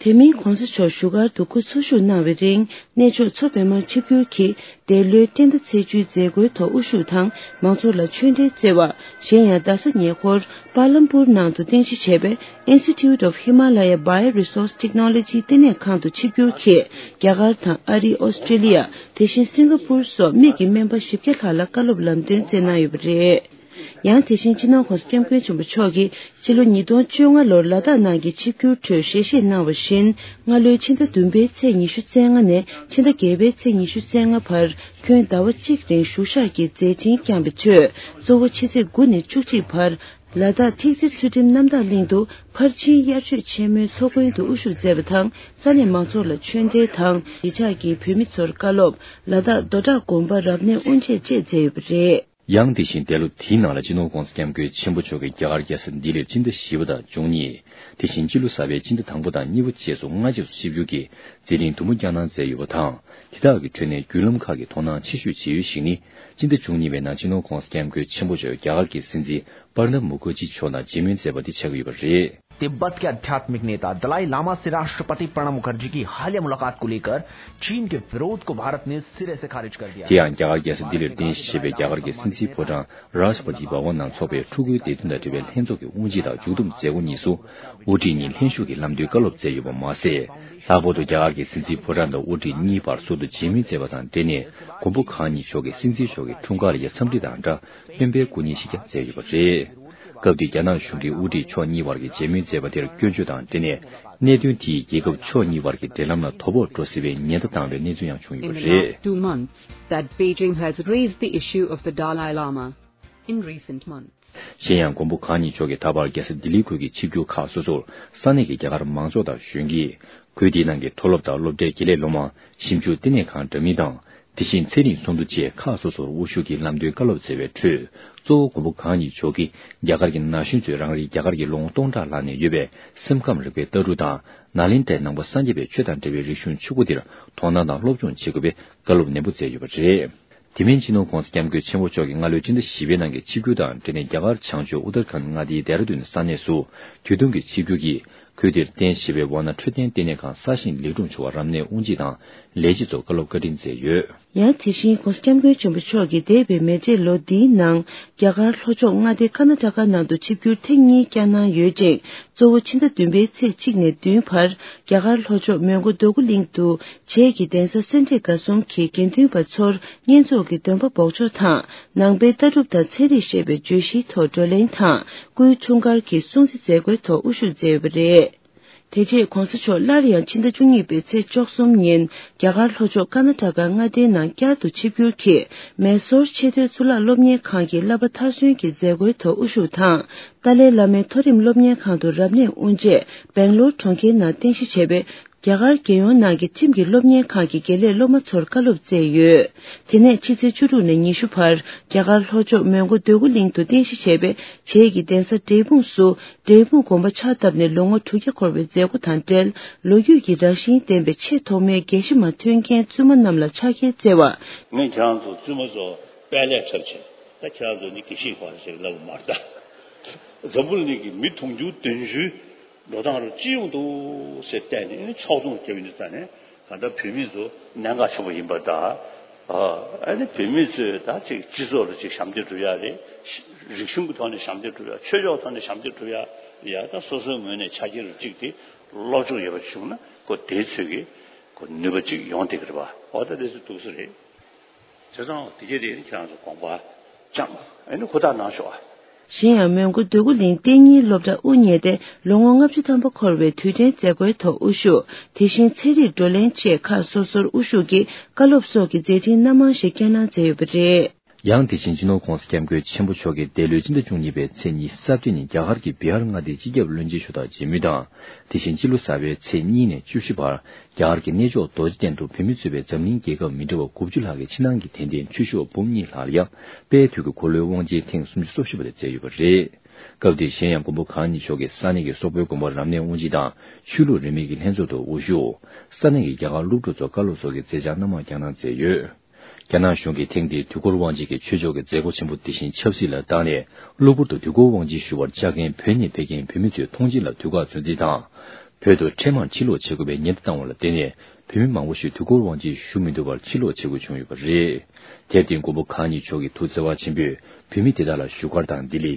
དེ་མིན་༸གོང་ས་མཆོག་བཞུགས་སྒར་དུ་སྐུ་འཚོ་བཞུགས་གནང་བའི་རིང་། གནས་མཆོག་མཚོ་པདྨར་ཆིབས་བསྒྱུར་གྱིས་འདས་ལོའི་སྤྱི་ཟླ་ཚེས་བཅུའི་མཛད་སྒོའི་ཐོག་དབུ་བཞུགས་དང་མང་ཚོགས་ལ་ཆོས་འབྲེལ་བསྩལ་བ། གཞན་ཡང་རྡ་ས་ཉེ་འཁོར་པཱ་ལམ་པུར་ནང་དུ་རྟེན་གཞི་བྱས་པའི་Institute of Himalaya Bioresource Technology ལྟེ་གནས་ཁང་དུ་ཆིབས་བསྒྱུར་གྱིས་རྒྱ་གར་དང་ཨ་རི། ཨོ་སི་ཀྲི་ལི་ཡ། དེ་བཞིན་སིང་ག་པུར་སོགས་མི་གི་སྨན་པ་བཞི་བརྒྱ་ལྷག་ལ་བཀའ་སློབ་ལམ་སྟོན་བསྩལ་གནང་ཡོད་པ་རེད། ཡང་དེ་བཞིན་སྤྱི་ནོར་༸གོང་ས་༸སྐྱབས་མགོན་ཆེན་པོ་མཆོག་གིས་སྤྱི་ལོ་ཉིས་སྟོང་བཅོ་ལྔ་ལོར་ལ་དྭགས་ནང་གི་ཆིབས་བསྒྱུར་ཁྲོད་ཞལ་བཞེས་གནང་བ་བཞིན། སྔ་ལོའི་ཕྱི་ཟླ་བདུན་པའི་ཚེས་ཉི་ཤུ་རྩ་ལྔ་ནས་ཕྱི་ཟླ་བརྒྱད་པའི་ཚེས་ཉི་ཤུ་རྩ་ལྔ་བར་ཁྱོན་ཟླ་བ་གཅིག་རིང་བཞུགས་ཞག་གི་མཛད་འཕྲིན་བསྐྱངས་པའི་ཁྲོད། གཙོ་བོ་ཕྱི་ཚེས་དགུ་ནས་བཅུ་གཅིག་བར་ལ་དྭགས་ཐིག་ཙེ་ཚུལ་ཁྲིམས་གནམ་བདག་གླིང་དུ་ཕར་ཕྱིན་དབྱར་ཆོས་ཆེན་མོའི་ཚོགས་མགོན་དུ་དབུ་བཞུགས་མཛད་པ་དང་། ས་གནས་མང་ཚོགས་ལ་ཆོས་འབྲེལ་དང་གཞིས་ཆགས་ཀྱི་བོད་མི་ཚོར་བཀའ་སློབ། ལ་དྭགས་རྡོ་བྲག་དགོན་པར་རབ་གནས་དབུ་འབྱེད་བཅས་མཛད་ཡོད་པ་རེད། ཡང་དེ་བཞིན་འདས་ལོ་དེའི་ནང་ལ་སྤྱི་ནོར་༸གོང་ས་༸སྐྱབས་མགོན་ཆེན་པོ་མཆོག་གིས་རྒྱ་གར་རྒྱལ་ས་ལྡི་ལིར་སྤྱི་ཟླ་བཞི་པ་དང་བཅུ་གཉིས། དེ་བཞིན་སྤྱི་ལོ་གསར་པའི་སྤྱི་ཟླ་དང་པོ་དང་གཉིས་པ་བཅས་སུ་སྔ་རྗེས་སུ་ཆིབས་བསྒྱུར་གྱིས་མཛད་འཕྲིན་དུམ་བུ་བསྐྱངས་གནང་མཛད་ཡོད་པ་དང་། དེ་དག་གི་ཁྲོད་ནས་བརྒྱུད་ལམ་ཁག་གི་དོ་སྣང་ཆེ་ཤོས་བྱེད་ཡུལ་ཞིག་ནི། སྤྱི་ཟླ་བཅུ་གཉིས་པའི་ནང་སྤྱི་ནོར་༸གོང་ས་༸སྐྱབས་མགོན་ཆེན་པོ་མཆོག་རྒྱ་གར་གྱི་སྲིད་འཛིན་པར་ནབ་མུ་ཁར་ཇི་མཆོག་དང་མཇལ་མོལ་མཛད་པ་དེ་ཆགས་ཀྱི་ཡོད་པ་རེད། तिब्बत के आध्यात्मिक नेता दलाई लामा से राष्ट्रपति प्रणब मुखर्जी की हालिया मुलाकात को लेकर चीन के विरोध को भारत ने सिरे से खारिज कर दिया। དེ་ཡང་རྒྱ་གར་རྒྱལ་ས་ལྡི་ལིར་རྟེན་གཞི་བྱས་པའི་རྒྱ་གར་གྱི་སྲིད་འཛིན་ཕོ་བྲང་Rashtrapati Bhavan ནང་འཚོགས་པའི་ཕྲུ་གུའི་བདེ་དོན་དང་འབྲེལ་བའི་ལྷན་ཚོགས་ཀྱི་དབུ་འབྱེད་དང་མཇུག་བསྡོམས་མཛད་སྒོ་གཉིས་སུ། དབུ་ཁྲིད་གཉིས་ལྷན་ཞུགས་ཀྱིས་ལམ་སྟོན་བཀའ་སློབ་མཛད་ཡོད་པ་མ་ཟད། ལྷག་པར་དུ་རྒྱ་གར་གྱི་སྲིད་འཛིན་ཕོ་བྲང་དང་དབུ་ཁྲིད་གཉིས་བར་ཟུར་དུ་མཇལ་མོལ་མཛད་པ་དང་འབྲེལ་ནས། མགོན་པོ་གང་ཉིད་མཆོག་གིས་སྲིད་འཛིན་མཆོག་གི་འཁྲུངས་སྐར་ལ་འཚམས་འདྲི་དང་སྦྲགས་སྨན་པའི་སྐུ་བརྙན་ཞིག་ཀྱང་མཛད་ཡོད་པ་རེད། སྐབས་དེར་རྒྱ་ནག་གཞུང་གིས་དབུ་ཁྲིད་ཕྱོགས་གཉིས་བར་གྱི་མཇལ་མོལ་མཛད་པ་དེར་སྐྱོན་བརྗོད་དང་འབྲེལ་ནས། གནད་དོན་དེས་རྒྱལ་ཁབ་ཕྱོགས་གཉིས་བར་གྱི་འབྲེལ་ལམ་ལ་དོ་ཕོག་འགྲོ་སྲིད་པའི་ཉེན་བརྡ་བཏང་བའི་གནས་ཚུལ་ཡང་བྱུང་ཡོད་པ་རེད། In the last two months, that Beijing has raised the issue of the Dalai Lama in recent months. གཞན་ཡང་མགོན་པོ་གང་ཉིད་མཆོག་གིས་ད་བར་རྒྱལ་ས་ལྡི་ལི་ཁུལ་གྱི་ཆིབས་བསྒྱུར་ཁག་སོ་སོར་ས་གནས་ཀྱི་རྒྱ་གར་མང་ཚོགས་དང་གཞོན་སྐྱེས། ཁུལ་དེའི་ནང་གི་མཐོ་སློབ་དང་སློབ་གྲྭའི་དགེ་ལས་སློབ་མ། ཞིབ་འཇུག་ལྟེ་གནས་ཁང་འདྲ་མིན་དང་། དེ་བཞིན་ཚན་རིག་ཚོགས་འདུ་བཅས་ཁག་སོ་སོར་དབུ་བཞུགས་ཀྱིས་ལམ་སྟོན་བཀའ་སློབ་མཛད་པའི་ཁྲོད། གཙོ་བོ་མགོན་པོ་གང་ཉིད་མཆོག་གིས་རྒྱ་གར་གྱི་ན་གཞོན་ཚོས་རང་རེའི་རྒྱ་གར་གྱི་ལོ་ངོ་སྟོང་ཕྲག་ལྷག་ནས་ཡོད་པའི་སེམས་ཁམས་རིག་པའི་ལྟ་གྲུབ་དང་། ནཱ་ལེནྡྲའི་ནང་པ་སངས་རྒྱས་པའི་ཆོས་དང་འབྲེལ་བའི་རིག་གཞུང་ཕྱུག་པོ་འདིར་དོ་སྣང་དང་སློབ་སྦྱོང་བྱེད་དགོས་པའི་བཀའ་སློབ་ནན་པོ་མཛད་ཡོད་པ་རེད། དེ་མིན་སྤྱི་ནོར་༸གོང་ས་༸སྐྱབས་མགོན་ཆེན་པོ་མཆོག་གིས་སྔ་ལོའི་སྤྱི་ཟླ་བཞི་པའི་ནང་གི་ཆིབས་བསྒྱུར་དང་འབྲེལ་ནས་རྒྱ་གར་བྱང་ཕྱོགས་ཨུ་ཏར་ཁཱན་མངའ་སྡེའི་ལྡེ་ར་ལྡུན་ས་གནས་སུ་དུས་ཐུང་གི་ཆིབས་བསྒྱུར་གྱིས། ཁུལ་དེར་རྟེན་གཞི་བའི་ཝཱ་ཎ་འཕྲོད་བསྟེན་ལྟེ་གནས་ཁང་གསར་བཞེངས་ལེགས་གྲུབ་བྱུང་བར་རབ་གནས་དབུ་འབྱེད་དང་ལས་བྱེད་ཚོར་བཀའ་སློབ་བཀའ་དྲིན་སྩལ་ཡོད། ཡང་དེ་བཞིན་༸གོང་ས་༸སྐྱབས་མགོན་ཆེན་པོ་མཆོག་གིས་འདས་པའི་མེ་འབྲེལ་ལོ་འདིའི་ནང་རྒྱ་གར་ལྷོ་ཕྱོགས་མངའ་སྡེ་ཀར་ན་ཊ་ཀ་ནང་དུ་ཆིབས་བསྒྱུར་ཐེངས་གཉིས་བསྐྱངས་གནང་ཡོད་ཅིང་། གཙོ་བོ་ཕྱི་ཟླ་བདུན་པའི་ཚེས་གཅིག་ནས་བདུན་བར་རྒྱ་གར་ལྷོ་ཕྱོགས་མོན་གྷོ་རྡོ་སྐུ་གླིང་དུ་བྱེས་ཀྱི་གདན་ས་སེ་འབྲས་དགའ་གསུམ་གྱི་དགེ་འདུན་པ་ཚོར་བསྙེན་རྫོགས་ཀྱི་འདོན་པ་འབོགས་ཆོག་དང་། ནང་པའི་ལྟ་གྲུབ་དང་ཚན་རིག་ཞེས་པའི་བརྗོད་གཞིའི་ཐོག་བགྲོ་གླེང་དང་སྐུའི་འཁྲུངས་སྐར་གྱི་སྲུང་བརྩི་མཛད་སྒོའི་ཐོག་དབུ་བཞུགས་མཛད་ཡོད་པ་རེད། དེ་རྗེས་༸གོང་ས་མཆོག་སླར་ཡང་ཕྱི་ཟླ་བཅུ་གཉིས་པའི་ཚེས་བཅུ་གསུམ་ཉིན་རྒྱ་གར་ལྷོ་ཕྱོགས་ཀར་ན་ཊ་ཀ་མངའ་སྡེའི་ནང་བསྐྱར་དུ་ཆིབས་བསྒྱུར་གྱིས་མེ་སོར་ཆེས་མཐོའི་གཙུག་ལག་སློབ་གཉེར་ཁང་གི་བསླབ་པ་མཐར་སོན་གྱི་མཛད་སྒོའི་ཐོག་དབུ་བཞུགས་དང་། ཏཱ་ལའི་བླ་མའི་མཐོ་རིམ་སློབ་གཉེར་ཁང་དུ་རབ་གནས་དབུ་འབྱེད། སྦེང་ལོར་གྲོང་ཁྱེར་ནང་རྟེན་གཞི་བྱས་པའི་ རྒྱ་གར་རྒྱལ་ཡོངས་ནང་གི་ཁྲིམས་ཀྱི་སློབ་གཉེར་ཁང་གི་དགེ་ལས་སློབ་མ་ཚོར་བཀའ་སློབ་སྩལ་ཡོད། དེ་ནས་ཕྱི་ཚེས་བཅུ་དྲུག་ནས་ཉི་ཤུ་བར་རྒྱ་གར་ལྷོ་ཕྱོགས་མོན་གྷོ་འདོད་རྒུ་གླིང་དུ་རྟེན་གཞི་བྱས་པའི་བྱེས་ཀྱི་གདན་ས་འབྲས་སྤུངས་སུ་འབྲས་སྤུངས་དགོན་པ་ཕྱག་བཏབ་ནས་ལོ་ངོ་དྲུག་བརྒྱ་འཁོར་བའི་མཛད་སྒོ་དང་འབྲེལ། ལོ་རྒྱུས་ཀྱི་རང་བཞིན་ལྡན་པའི་ཆེས་ཐོག་མའི་དགེ་བཤེས་མ་ཐོན་མཁན་བཙུན་མ་རྣམས་ལ་ཕྱག་འཁྱེར་བསྩལ་བ། ངས་ཁྱེད་རང་ཚོ་བཙུན་མ་ཚོ་དཔལ་ལས་འཁྲབ་བྱས། ད་ཁྱེད་རང་ཚོ་ནི་དགེ་བཤེས་པ་ཞིག་ལབ་མ་རེད་ད། འཛམ་བུ་གླིང་གི་མི་དུང་ཕྱུར་བདུན་ཅུའི་འགྲོ་སྟངས་རུ་ཅི་ཡོང་འདུག་ཟེར་བལྟས་ནས་ཕྱོགས་མཚུངས་རྒྱབ་ཡིན་དུས་ཙང་ནས། གང་ལྟར་བོད་མི་ཚོ་གནད་འགག་ཆེན་པོ་ཡིན་པ་དང་། ཨ་ནི་བོད་མི་ཚོས་ད་ཅིག་སྤྱི་ཚོགས་ལ་ཅིག་ཞབས་འདེགས་སྒྲུབ་ཡ་རེད། རིག་གཞུང་གི་ཐོག་ནས་ཞབས་འདེགས་སྒྲུབ་ཡ། ཆོས་ཕྱོགས་ཐོག་ནས་ཞབས་འདེགས་སྒྲུབ་ཡ། ཡ་ད་སོ་སོའི་ངོས་ནས་ཆ་རྐྱེན་རུ་གཅིག་དེ་སློབ་སྦྱོང་ཡོད་པ་བྱུང་ན་ཁོ་དེའི་ཚོད་ཀྱི་ཁོ་ནུས་པ་གཅིག་ཡོང་བསྡད་ཀྱི་རེད་པ། འོ་ད་དེ་ཚོ་འདུག་ས་རེད། བྱས་ཙང་དེ་གས་དེ་ཁྱེད་རང་ཚོ་དགོངས་པ་བཅངས་ཨ་ནི་ཧུར་ཐག་གནང་ཤོག་ཨ། གཞན་ཡང་མོན་གྷོ་འདོད་རྒུ་གླིང་གཏན་ཉིན་སློབ་གྲྭ་དབུ་བརྙེས་ཏེ་ལོ་ངོ་ལྔ་བཅུ་ཐམ་པ་འཁོར་བའི་དུས་དྲན་མཛད་སྒོའི་ཐོག་དབུ་བཞུགས། དེ་བཞིན་ཚན་རིག་བགྲོ་གླེང་བཅས་ཁག་སོ་སོར་དབུ་བཞུགས་ཀྱིས་བཀའ་སློབ་སོགས་ཀྱི་མཛད་འཕྲིན་སྣ་མང་ཞིག་སྐྱེལ་གནང་མཛད་ཡོད་པ་རེད། ཡང་དེ་བཞིན་སྤྱི་ནོར་༸གོང་ས་༸སྐྱབས་མགོན་ཆེན་པོ་མཆོག་གིས་འདས་ལོའི་སྤྱི་ཟླ་བཅུ་གཉིས་པའི་ཚེས་ཉི་ཤུ་རྩ་བརྒྱད་ཉིན་རྒྱ་གར་གྱི་བི་ཧར་མངའ་སྡེའི་སྤྱི་ཁྱབ་བློན་ཆེན་ཞུ་དག་མཇལ་མུས་དང་། དེ་བཞིན་སྤྱི་ལོ་གསར་པའི་ཚེས་གཉིས་ནས་བཅུ་བཞི་བར་རྒྱ་གར་གྱི་གནས་མཆོག་རྡོ་རྗེ་གདན་དུ་བོད་མི་གཙོས་པའི་འཛམ་གླིང་རྒྱལ་ཁབ་མི་འདྲ་བ་དགུ་བཅུ་ལྷག་གིས་ཕྱི་ནང་གི་དད་ལྡན་ཆོས་ཞུ་བ་འབུམ་གཉིས་ལྷག་ལ་ཡང་དཔལ་དུས་ཀྱི་འཁོར་ལོའི་དབང་ཆེན་ཐེངས་སུམ་ཅུ་སོ་བཞི་པ་དེ་སྩལ་ཡོད་པ་རེད། སྐབས་དེར་གཞན་ཡང་མགོན་པོ་གང་ཉིད་མཆོག་གིས་ས་གནས་ཀྱི་སོག་པོའི་དགོན་པ་རབ་གནས་དབུ་འབྱེད་དང་ཆོས་ལུགས་རིས་མེད་ཀྱི་ལྷན་ཚོགས་ཐོག་དབུ་བཞུགས། ས་གནས་ཀྱི་རྒྱ་གར་སློབ་ཕྲུག་ཚོར་བཀའ་སློབ་སོགས་ཀྱི་མཛད་འཆར་སྣ་མང་བསྐྱངས་གནང་མཛད་ཡོད། རྒྱ་ནག་གཞུང་གིས་ཐེངས་འདིའི་དུས་འཁོར་དབང་ཆེན་གྱི་ཆོས་ཕྱོགས་ཀྱི་མཛད་སྒོ་ཆེན་པོ་འདི་བཞིན་ཆབ་སྲིད་ལ་བཏང་ནས་གློ་བུར་དུ་དུས་འཁོར་དབང་ཆེན་ཞུ་བར་བཅར་མཁན་བོད་ནས་ཕེབས་མཁན་བོད་མི་ཚོའི་མཐོང་མཆན་ལ་དུས་བཀག་ཚོད་འཛིན་དང་། བོད་དུ་འཕྲལ་མར་ཕྱིར་ལོག་བྱེད་དགོས་པའི་ཉེན་བརྡ་བཏང་བ་ལ་བརྟེན་ནས་བོད་མི་མང་པོ་ཞིག་དུས་འཁོར་དབང་ཆེན་ཞུ་མི་ཐུབ་པར་ཕྱིར་ལོག་བྱེད་དགོས་བྱུང་ཡོད་པ་རེད། དེར་བརྟེན་མགོན་པོ་གང་ཉིད་མཆོག་གི་ཐུགས་བརྩེ་བ་ཆེན་པོས་བོད་མི་དེ་དག་ལ་བཞུགས་སྒར་དང་ལྡི་ལི།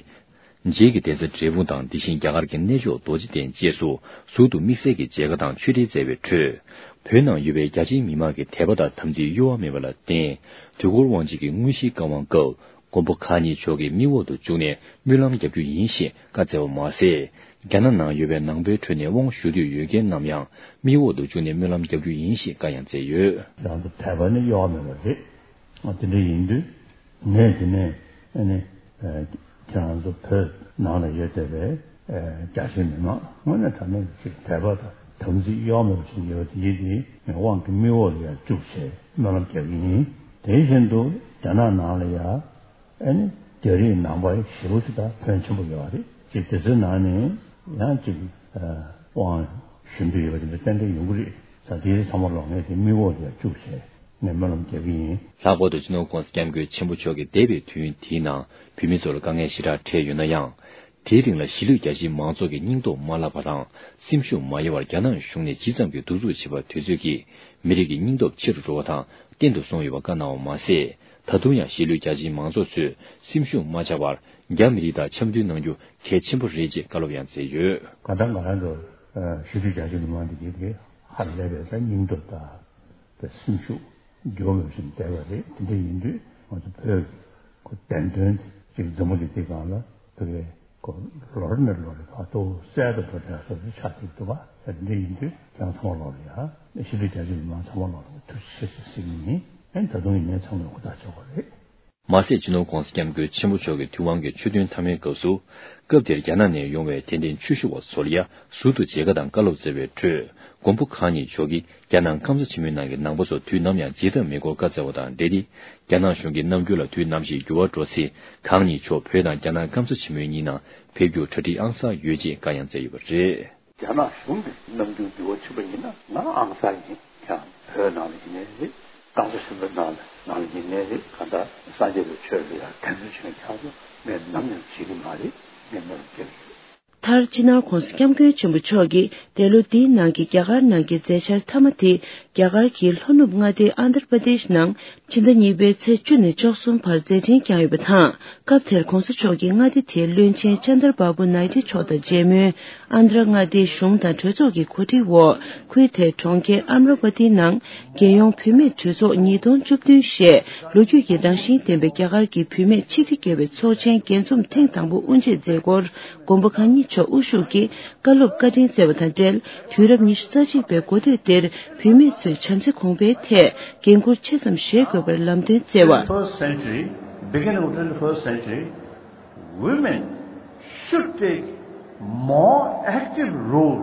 རྗེས་ཀྱི་གདན་ས་འབྲས་སྤུངས་དང་དེ་བཞིན་རྒྱ་གར་གྱི་གནས་མཆོག་རྡོ་རྗེ་གདན་བཅས་སུ་ཟུར་དུ་དམིགས་བསལ་གྱི་མཇལ་ཁ་དང་ཆོས་འབྲེལ་མཛད་པའི་ཁྲོད། བོད་ནང་ཡོད་པའི་རྒྱ་ཆེའི་མི་མང་གི་དད་པ་དང་དམ་ཚིག་གཡོ་བ་མེད་པ་ལ་བརྟེན། དུས་འཁོར་དབང་ཆེན་གྱི་དངོས་གཞིའི་བཀའ་དབང་སྐབས་མགོན་པོ་གང་ཉིད་མཆོག་གིས་མིག་འོག་ཏུ་བཅུག་ནས་སྨོན་ལམ་རྒྱག་རྒྱུ་ཡིན་ཞེས་བཀའ་སྩལ་བ་མ་ཟད། རྒྱ་ནག་ནང་ཡོད་པའི་ནང་པའི་ཁྲོད་ནས་དབང་ཞུ་འདོད་ཡོད་མཁན་རྣམས་ཡང་མིག་འོག་ཏུ་བཅུག་ནས་སྨོན་ལམ་རྒྱག་རྒྱུ་ཡིན་ཞེས་བཀའ་ཡང་སྩལ་ཡོད། རང་ཚོ་དད་པ་ནི་གཡོ་བ་མེད་པ་རེད། ཨ་དེ་འདྲ་ཡིན་དུས་ངས་དེ་ནས་ཨ་ནི་ཨ་ཁྱེད་རང་ཚོ་བོད་ནང་ལ་ཡོད་བསྡད་པའི་ཨ་རྒྱ་ཆེའི་མི་མང་དངོས་གནས་དྲང་གནས་ཀྱི་དད་པ་དང་དམ་ཚིག་གཡོ་མེད་པ་ཞིག་ཡོད་དེ་ཡིན་དེ་ངས་དབང་གི་མིག་འོག་ལ་ཡང་བཅུག་བྱས་སྨོན་ལམ་རྒྱག་གི་ཡིན། དེ་བཞིན་དུ་རྒྱ་ནག་ནང་ལ་ཡང་ཨ་ནི་རྒྱ་རིགས་ནང་པ་ཞེ་པོ་ཅིག་དང་ཕོན་ཆེན་པོ་ཡོད་རེད། ཅིག་དེ་ཚོའི་ནང་ནས་ཡང་ཅིག་ཨ་དབང་ཞུ་འདོད་ཡོད་པ་དེ་འདྲ་ཏན་ཏན་ཡོང་གི་རེད། ད་དེ་ཚང་མ་ལོག་ངས་དེ་མིག་འོག་ལ་ཡང་བཅུག་བྱས། ངས་སྨོན་ལམ་རྒྱག་གི་ཡིན། ལྷག་པར་དུ་སྤྱི་ནོར་༸གོང་ས་༸སྐྱབས་མགོན་ཆེན་པོ་མཆོག་གིས་འདས་པའི་དུས་ཡུན་དེའི་ནང་བོད་མི་ཚོ་ལ་དཀའ་ངལ་ཞེ་དྲག་འཕྲད་ཡོད་ན་ཡང་། དེའི་རིང་ལ་གཞིས་ལུས་རྒྱ་ཆེའི་མང་ཚོགས་ཀྱི་སྙིང་སྟོབས་མ་བརླག་པ་དང་། སེམས་ཤུགས་མ་ཡལ་བར་རྒྱ་ནག་གཞུང་ནས་ཇི་ཙམ་གྱིས་གདུག་རྩུབ་བྱེད་པ་དུས་ཚོད་ཀྱིས་མི་རིགས་ཀྱི་སྙིང་སྟོབས་ཆེ་རུ་འགྲོ་བ་དང་བརྟན་དུ་སོང་ཡོད་པ་བཀའ་གནང་བ་མ་ཟད། ད་དུང་ཡང་གཞིས་ལུས་རྒྱ་ཆེའི་མང་ཚོགས་ཚོས་སེམས་ཤུགས་མ་ཆག་པར་རྒྱ་མི་རིགས་དང་འཆམ་མཐུན་གནང་རྒྱུ་གལ་ཆེན་པོ་རེད་ཅེས་བཀའ་སློབ་ཡང་སྩལ་ཡོད། གང་ལྟར་ང་རང་ཚོ་གཞིས་ལུས་རྒྱ་ཆེའི་མི་མང་འདི་གའི་ཧ་ལས་པའི་སྙིང་སྟོབས་དང་། པའི་སེམས་ཤུགས་འགྱུར་བ་མེད་པ་ཞིག་བསྡད་པ་རེད། དེ་འདྲ་ཡིན་དུས་ང་ཚོ་བོད་ཀྱི་བདེན་དོན་ཅིག་འཛམ་བུ་གླིང་འདིའི་སྒང་ལ་བོད་པའི་ལོ་རེ་ནས་ལོ་རེ་བར་དུ་གསལ་དུ་འགྲོ་བསྡད་སོ་སོ་ཆགས་ཀྱི་འདུག་པ། དེ་འདྲ་ཡིན་དུས་ཁྱེད་རང་ཚང་མ་ལོག་ལ་ཡ་གཞིས་ལུས་རྒྱ་ཆེའི་མི་མང་ཚང་མ་ལོག་ལ་ཐུགས་རྗེ་ཆེ་ཟེར་ཟེར་གྱི་ཡིན། ཨེ་ད་དུང་ཡིན་ནའི་ཚང་མས་ཧུར་ཐག་བྱེད་དགོས་རེད། མ་ཟད་སྤྱི་ནོར་༸གོང་ས་༸སྐྱབས་མགོན་ཆེན་པོ་མཆོག་གིས་དུས་དབང་གི་ཆོས་ཐུན་མཐའ་མའི་སྐབས་སུ། སྐབས་དེར་རྒྱ་ནག་ནས་ཡོང་བའི་དད་ལྡན་ཆོས་ཞུ་བ་ཚོ་ལ་ཡ་ཟུར་དུ་མཇལ་ཁ་དང་བཀའ་སློབ་སྩལ་བའི་ཁྲོད། མགོན་པོ་གང་ཉིད་མཆོག་གིས་རྒྱ་ནག་སྐམ་ས་ཆེན་མོའི་ནང་གི་ནང་པ་ཚོ་དུས་ནམ་ཡང་བརྗེད་ཐབས་མེད་སྐོར་བཀའ་སྩལ་བ་དང་འབྲེལ་ཏེ། རྒྱ་ནག་གཞུང་གི་རྣམ་འགྱུར་ལ་དུས་ནམ་ཞིག་འགྱུར་བ་འགྲོ་ཚེ། གང་ཉིད་མཆོག་བོད་དང་རྒྱ་ནག་སྐམ་ས་ཆེན་མོའི་གཉིས་ནང་ཕེབས་རྒྱུར་གྲ་སྒྲིག་ཨང་གསར་ཡོད་ཅེས་བཀའ་ཡང་སྩལ་ཡོད་པ་རེད། རྒྱ་ནག་གཞུང་གི་རྣམ་འགྱུར་འགྱུར་བ་ཕྱིན་པ་ཡིན་ན་ང་ཨང་གསར་ཡིན། ཡང་བོད་ནང་ལ་ཡིན་ནའི་རེད། སྐམ་ས་ཆེན་པོའི་ནང་ལ་ནང་ལ་ཡིན་ནའི་རེད། གང་ལྟར་སངས་རྒྱས་པའི་ཆོས་ལ་ཡང་དད་འདུན་ཆེན་ཁྱེད་ཚོ་ངས་ནམ་ཡང་བརྗེད་ཀྱི་མ་རེད། ངས་སྨོན་ལམ་རྒྱག་གི་ཡོད། མཐར་སྤྱི་ནོར་༸གོང་ས་༸སྐྱབས་མགོན་ཆེན་པོ་མཆོག་གིས་འདས་ལོ་འདིའི་ནང་གི་རྒྱ་གར་ནང་གི་མཛད་འཆར་མཐའ་མ་དེ་རྒྱ་གར་གྱི་ལྷོ་ནུབ་མངའ་སྡེ་ཨན་དྷྲ་པྲ་དེཤ་ནང་ཕྱི་ཟླ་གཉིས་པའི་ཚེས་བཅུ་ནས་བཅུ་གསུམ་བར་མཛད་འཕྲིན་བསྐྱངས་ཡོད་པ་དང་། སྐབས་དེར་༸གོང་ས་མཆོག་གིས་མངའ་སྡེ་དེའི་བློན་ཆེན་ཅན་དར་བྷ་བུ་ནའི་ཏི་མཆོག་དང་མཇལ་མོལ། ཨན་དྷྲ་མངའ་སྡེའི་གཞུང་དང་གྲོས་ཚོགས་ཀྱི་གོ་སྒྲིག་འོག་ཁུལ་དེའི་གྲོང་ཁྱེར་ཨམ་ར་བ་ཏི་ནང་རྒྱལ་ཡོངས་བུད་མེད་གྲོས་ཚོགས་ཉིས་སྟོང་བཅུ་བདུན་ཞེས་ལོ་རྒྱུས་ཀྱི་རང་བཞིན་ལྡན་པའི་རྒྱ་གར་གྱི་བུད་མེད་ཆིག་ཁྲི་བརྒལ་བའི་ཚོགས་ཆེན་རྒྱས་འཛོམས་ཐེངས་དང་པོ་དབུ་འབྱེད་མཛད་སྒོར། མགོན་པོ་གང་ཉིད་མཆོག་དབུ་བཞུགས་ཀྱིས་བཀའ་སློབ་བཀའ་དྲིན་སྩལ་བ་དང་འབྲེལ། དུས་རབས་ཉི་ཤུ་རྩ་གཅིག་པའི་འགོ་སྟོད་འདིར་བུད་མེད་ཚོས་བྱམས་བརྩེ་གོང་འཕེལ་ཐད་འགན་འཁུར་ཆེ་ཙམ་བཞེས་དགོས་པར་ལམ་སྟོན་སྩལ་བ། First century, beginning of twenty-first century, women should take more active role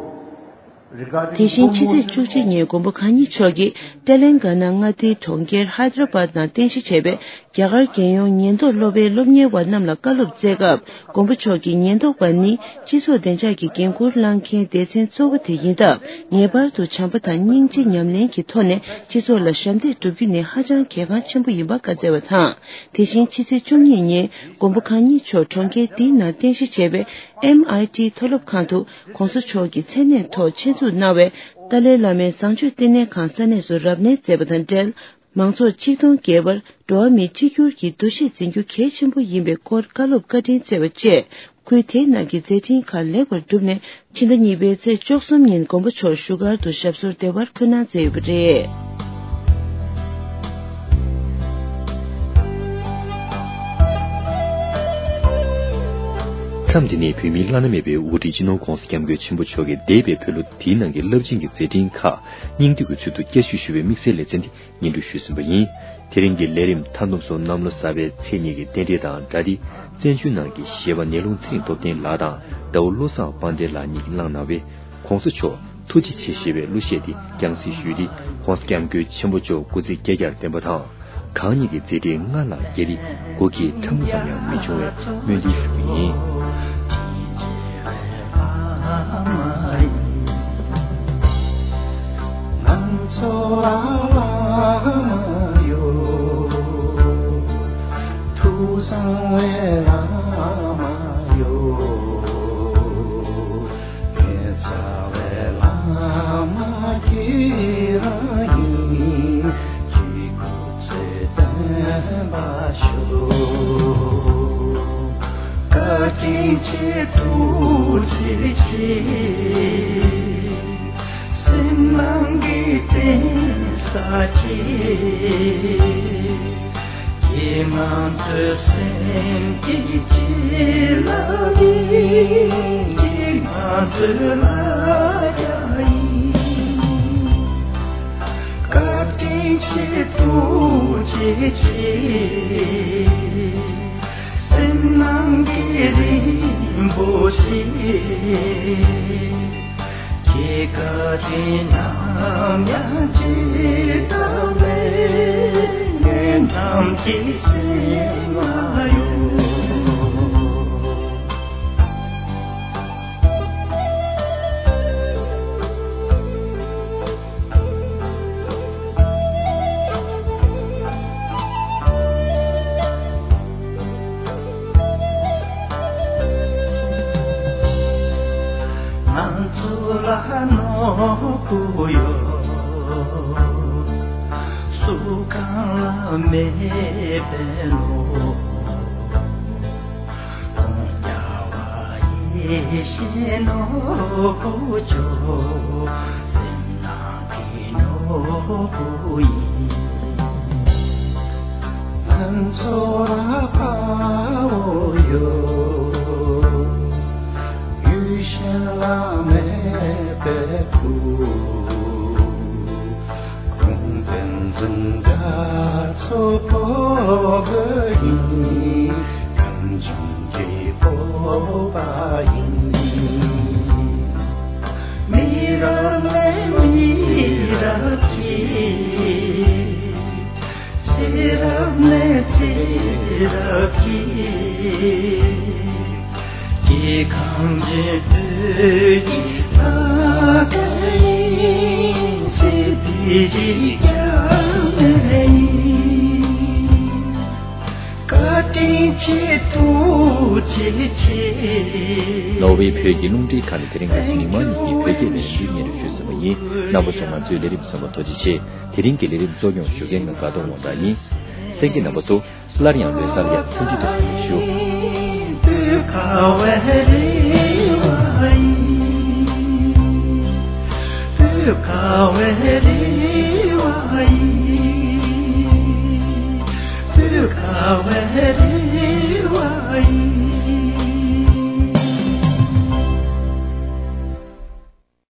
དེ་བཞིན་ཕྱི་ཚེས་བཅུ་གཅིག་ཉིན་མགོན་པོ་གང་ཉིད་མཆོག་གིས་ཏེ་ལེང་ག་ན་མངའ་སྡེའི་གྲོང་ཁྱེར་ཧའི་དར་བཱད་ནང་རྟེན་གཞི་བྱས་པའི་རྒྱ་གར་རྒྱལ་ཡོངས་ཉེན་རྟོག་སློབ་པའི་སློབ་གཉེར་བ་རྣམས་ལ་བཀའ་སློབ་སྩལ་སྐབས། མགོན་པོ་མཆོག་གིས་ཉེན་རྟོག་པ་ནི་སྤྱི་ཚོགས་བདེ་འཇགས་ཀྱི་འགན་འཁུར་བླངས་མཁན་སྡེ་ཚན་གཙོ་བོ་དེ་ཡིན་སྟབས། ངེས་པར་དུ་བྱམས་པ་དང་སྙིང་རྗེ་ཉམས་ལེན་གྱི་ཐོག་ནས་སྤྱི་ཚོགས་ལ་ཞབས་འདེགས་སྒྲུབ་རྒྱུ་ནི་ཧ་ཅང་གལ་འགངས་ཆེན་པོ་ཡིན་པ་བཀའ་སྩལ་བ་དང་། དེ་བཞིན་ཕྱི་ཚེས་བཅུ་གཉིས་ཉིན་མགོན་པོ་གང་ཉིད་མཆོག་གྲོང་ཁྱེར་འདིའི་ནང་རྟེན་གཞི་བྱས་པའི་ཨེམ་ཨའི་ཊི་མཐོ་སློབ་ཁང་དུ་༧གོང་ས་མཆོག་གི་མཚན་གནས་ཐོག་ཆེད་འཛུགས་གནང་བའི་ཏཱ་ལའི་བླ་མའི་བཟང་སྤྱོད་བསྟི་གནས་ཁང་ས་གནས་སུ་རབ་གནས་མཛད་པ་དང་འབྲེལ། མང་ཚོགས་ཆིག་སྟོང་བརྒལ་བར་འགྲོ་བ་མིའི་གཅིག་གྱུར་གྱི་འདུ་ཤེས་འཛིན་རྒྱུ་གལ་ཆེན་པོ་ཡིན་པའི་སྐོར་བཀའ་སློབ་བཀའ་དྲིན་སྩལ་བ་བཅས། ཁུལ་དེའི་ནང་གི་མཛད་འཕྲིན་ཁག་ལེགས་པར་གྲུབ་ནས། ཕྱི་ཟླ་གཉིས་པའི་ཚེས་བཅུ་གསུམ་ཉིན་མགོན་པོ་མཆོག་བཞུགས་སྒར་དུ་ཞབས་སོར་བདེ་བར་འཁོད་གནང་མཛད་ཡོད་པ་རེད། མཚམས་འདི་ནས་བོད་མིའི་བླ་ན་མེད་པའི་དབུ་ཁྲིད་སྤྱི་ནོར་༧གོང་ས་༧སྐྱབས་མགོན་ཆེན་པོ་མཆོག་གིས་འདས་པའི་བོད་ལོ་འདིའི་ནང་གི་རླབས་ཆེན་གྱི་མཛད་འཕྲིན་ཁག་སྙིང་བསྡུས་ཀྱི་ཚུལ་དུ་བསྐྱར་ཞིབ་ཞུ་བའི་དམིགས་བསལ་ལེ་ཚན་འདི་སྙན་སྒྲོན་ཞུས་ཟིན་པ་ཡིན། དེ་རིང་གི་ལས་རིམ་མཐའ་བསྡོམས་སུ་གནམ་ལོ་གསར་པའི་ཚེས་གཉིས་ཀྱི་རྟེན་འབྲེལ་དང་སྒྲ་སྡེ། བཙན་བྱོལ་ནང་གི་གཞས་པ་ནེའུ་ལུང་ཚེ་རིང་སྟོབས་ལྡན་ལགས་དང་ཟླ་བོ་བློ་བཟང་དཔལ་ལྡན་ལགས་གཉིས་ཀྱིས་བླངས་གནང་བའི་༧གོང་ས་མཆོག་ཐུགས་རྗེ་ཆེ་ཞེས་པའི་གླུ་གཞས་འདི་རྒྱང་སྲིང་ཞུས་ཏེ། ༧གོང་ས་༧སྐྱབས་མགོན་ཆེན་པོ་མཆོག་སྐུ་ཚེ་བསྐལ་བརྒྱར་བརྟན་པ་དང་། གང་ཉིད་ཀྱི་མཛད་འཕྲིན་སྔར་ལ་རྒྱས་ཏེ་སྒོ་འཁྱིལ་ཕྲ་མོ་ཙམ་ཡང་མི་འབྱུང་བའི་སྨོན་འདུན་ཞུ་རྒྱུ་ཡིན། ནོར་ཝེ་བོད་ཀྱི་རླུང་འཕྲིན་ཁང་ནས་དེ་རིང་གི་མི་མང་ཉིད་ཀྱི་བོད་སྐད་ལས་རིམ་འདི་སྙན་སྒྲོན་ཞུས་ཟིན་པ་ཡིན། རྣམ་པ་ཚོས་ང་ཚོའི་ལས་རིམ་གསན་པར་ཐུགས་རྗེ་ཆེ། དེ་རིང་གི་ལས་རིམ་གཙོ་སྐྱོང་ཞུ་མཁན་ང་དགའ་གདོང་དབང་གྲགས་ཡིན། གསན་མཁན་རྣམ་པ་ཚོ། སླར་ཡང་ལོ་གསར་ཡ་མཚན་འདྲི་དང་བསྟུན་ཞུ།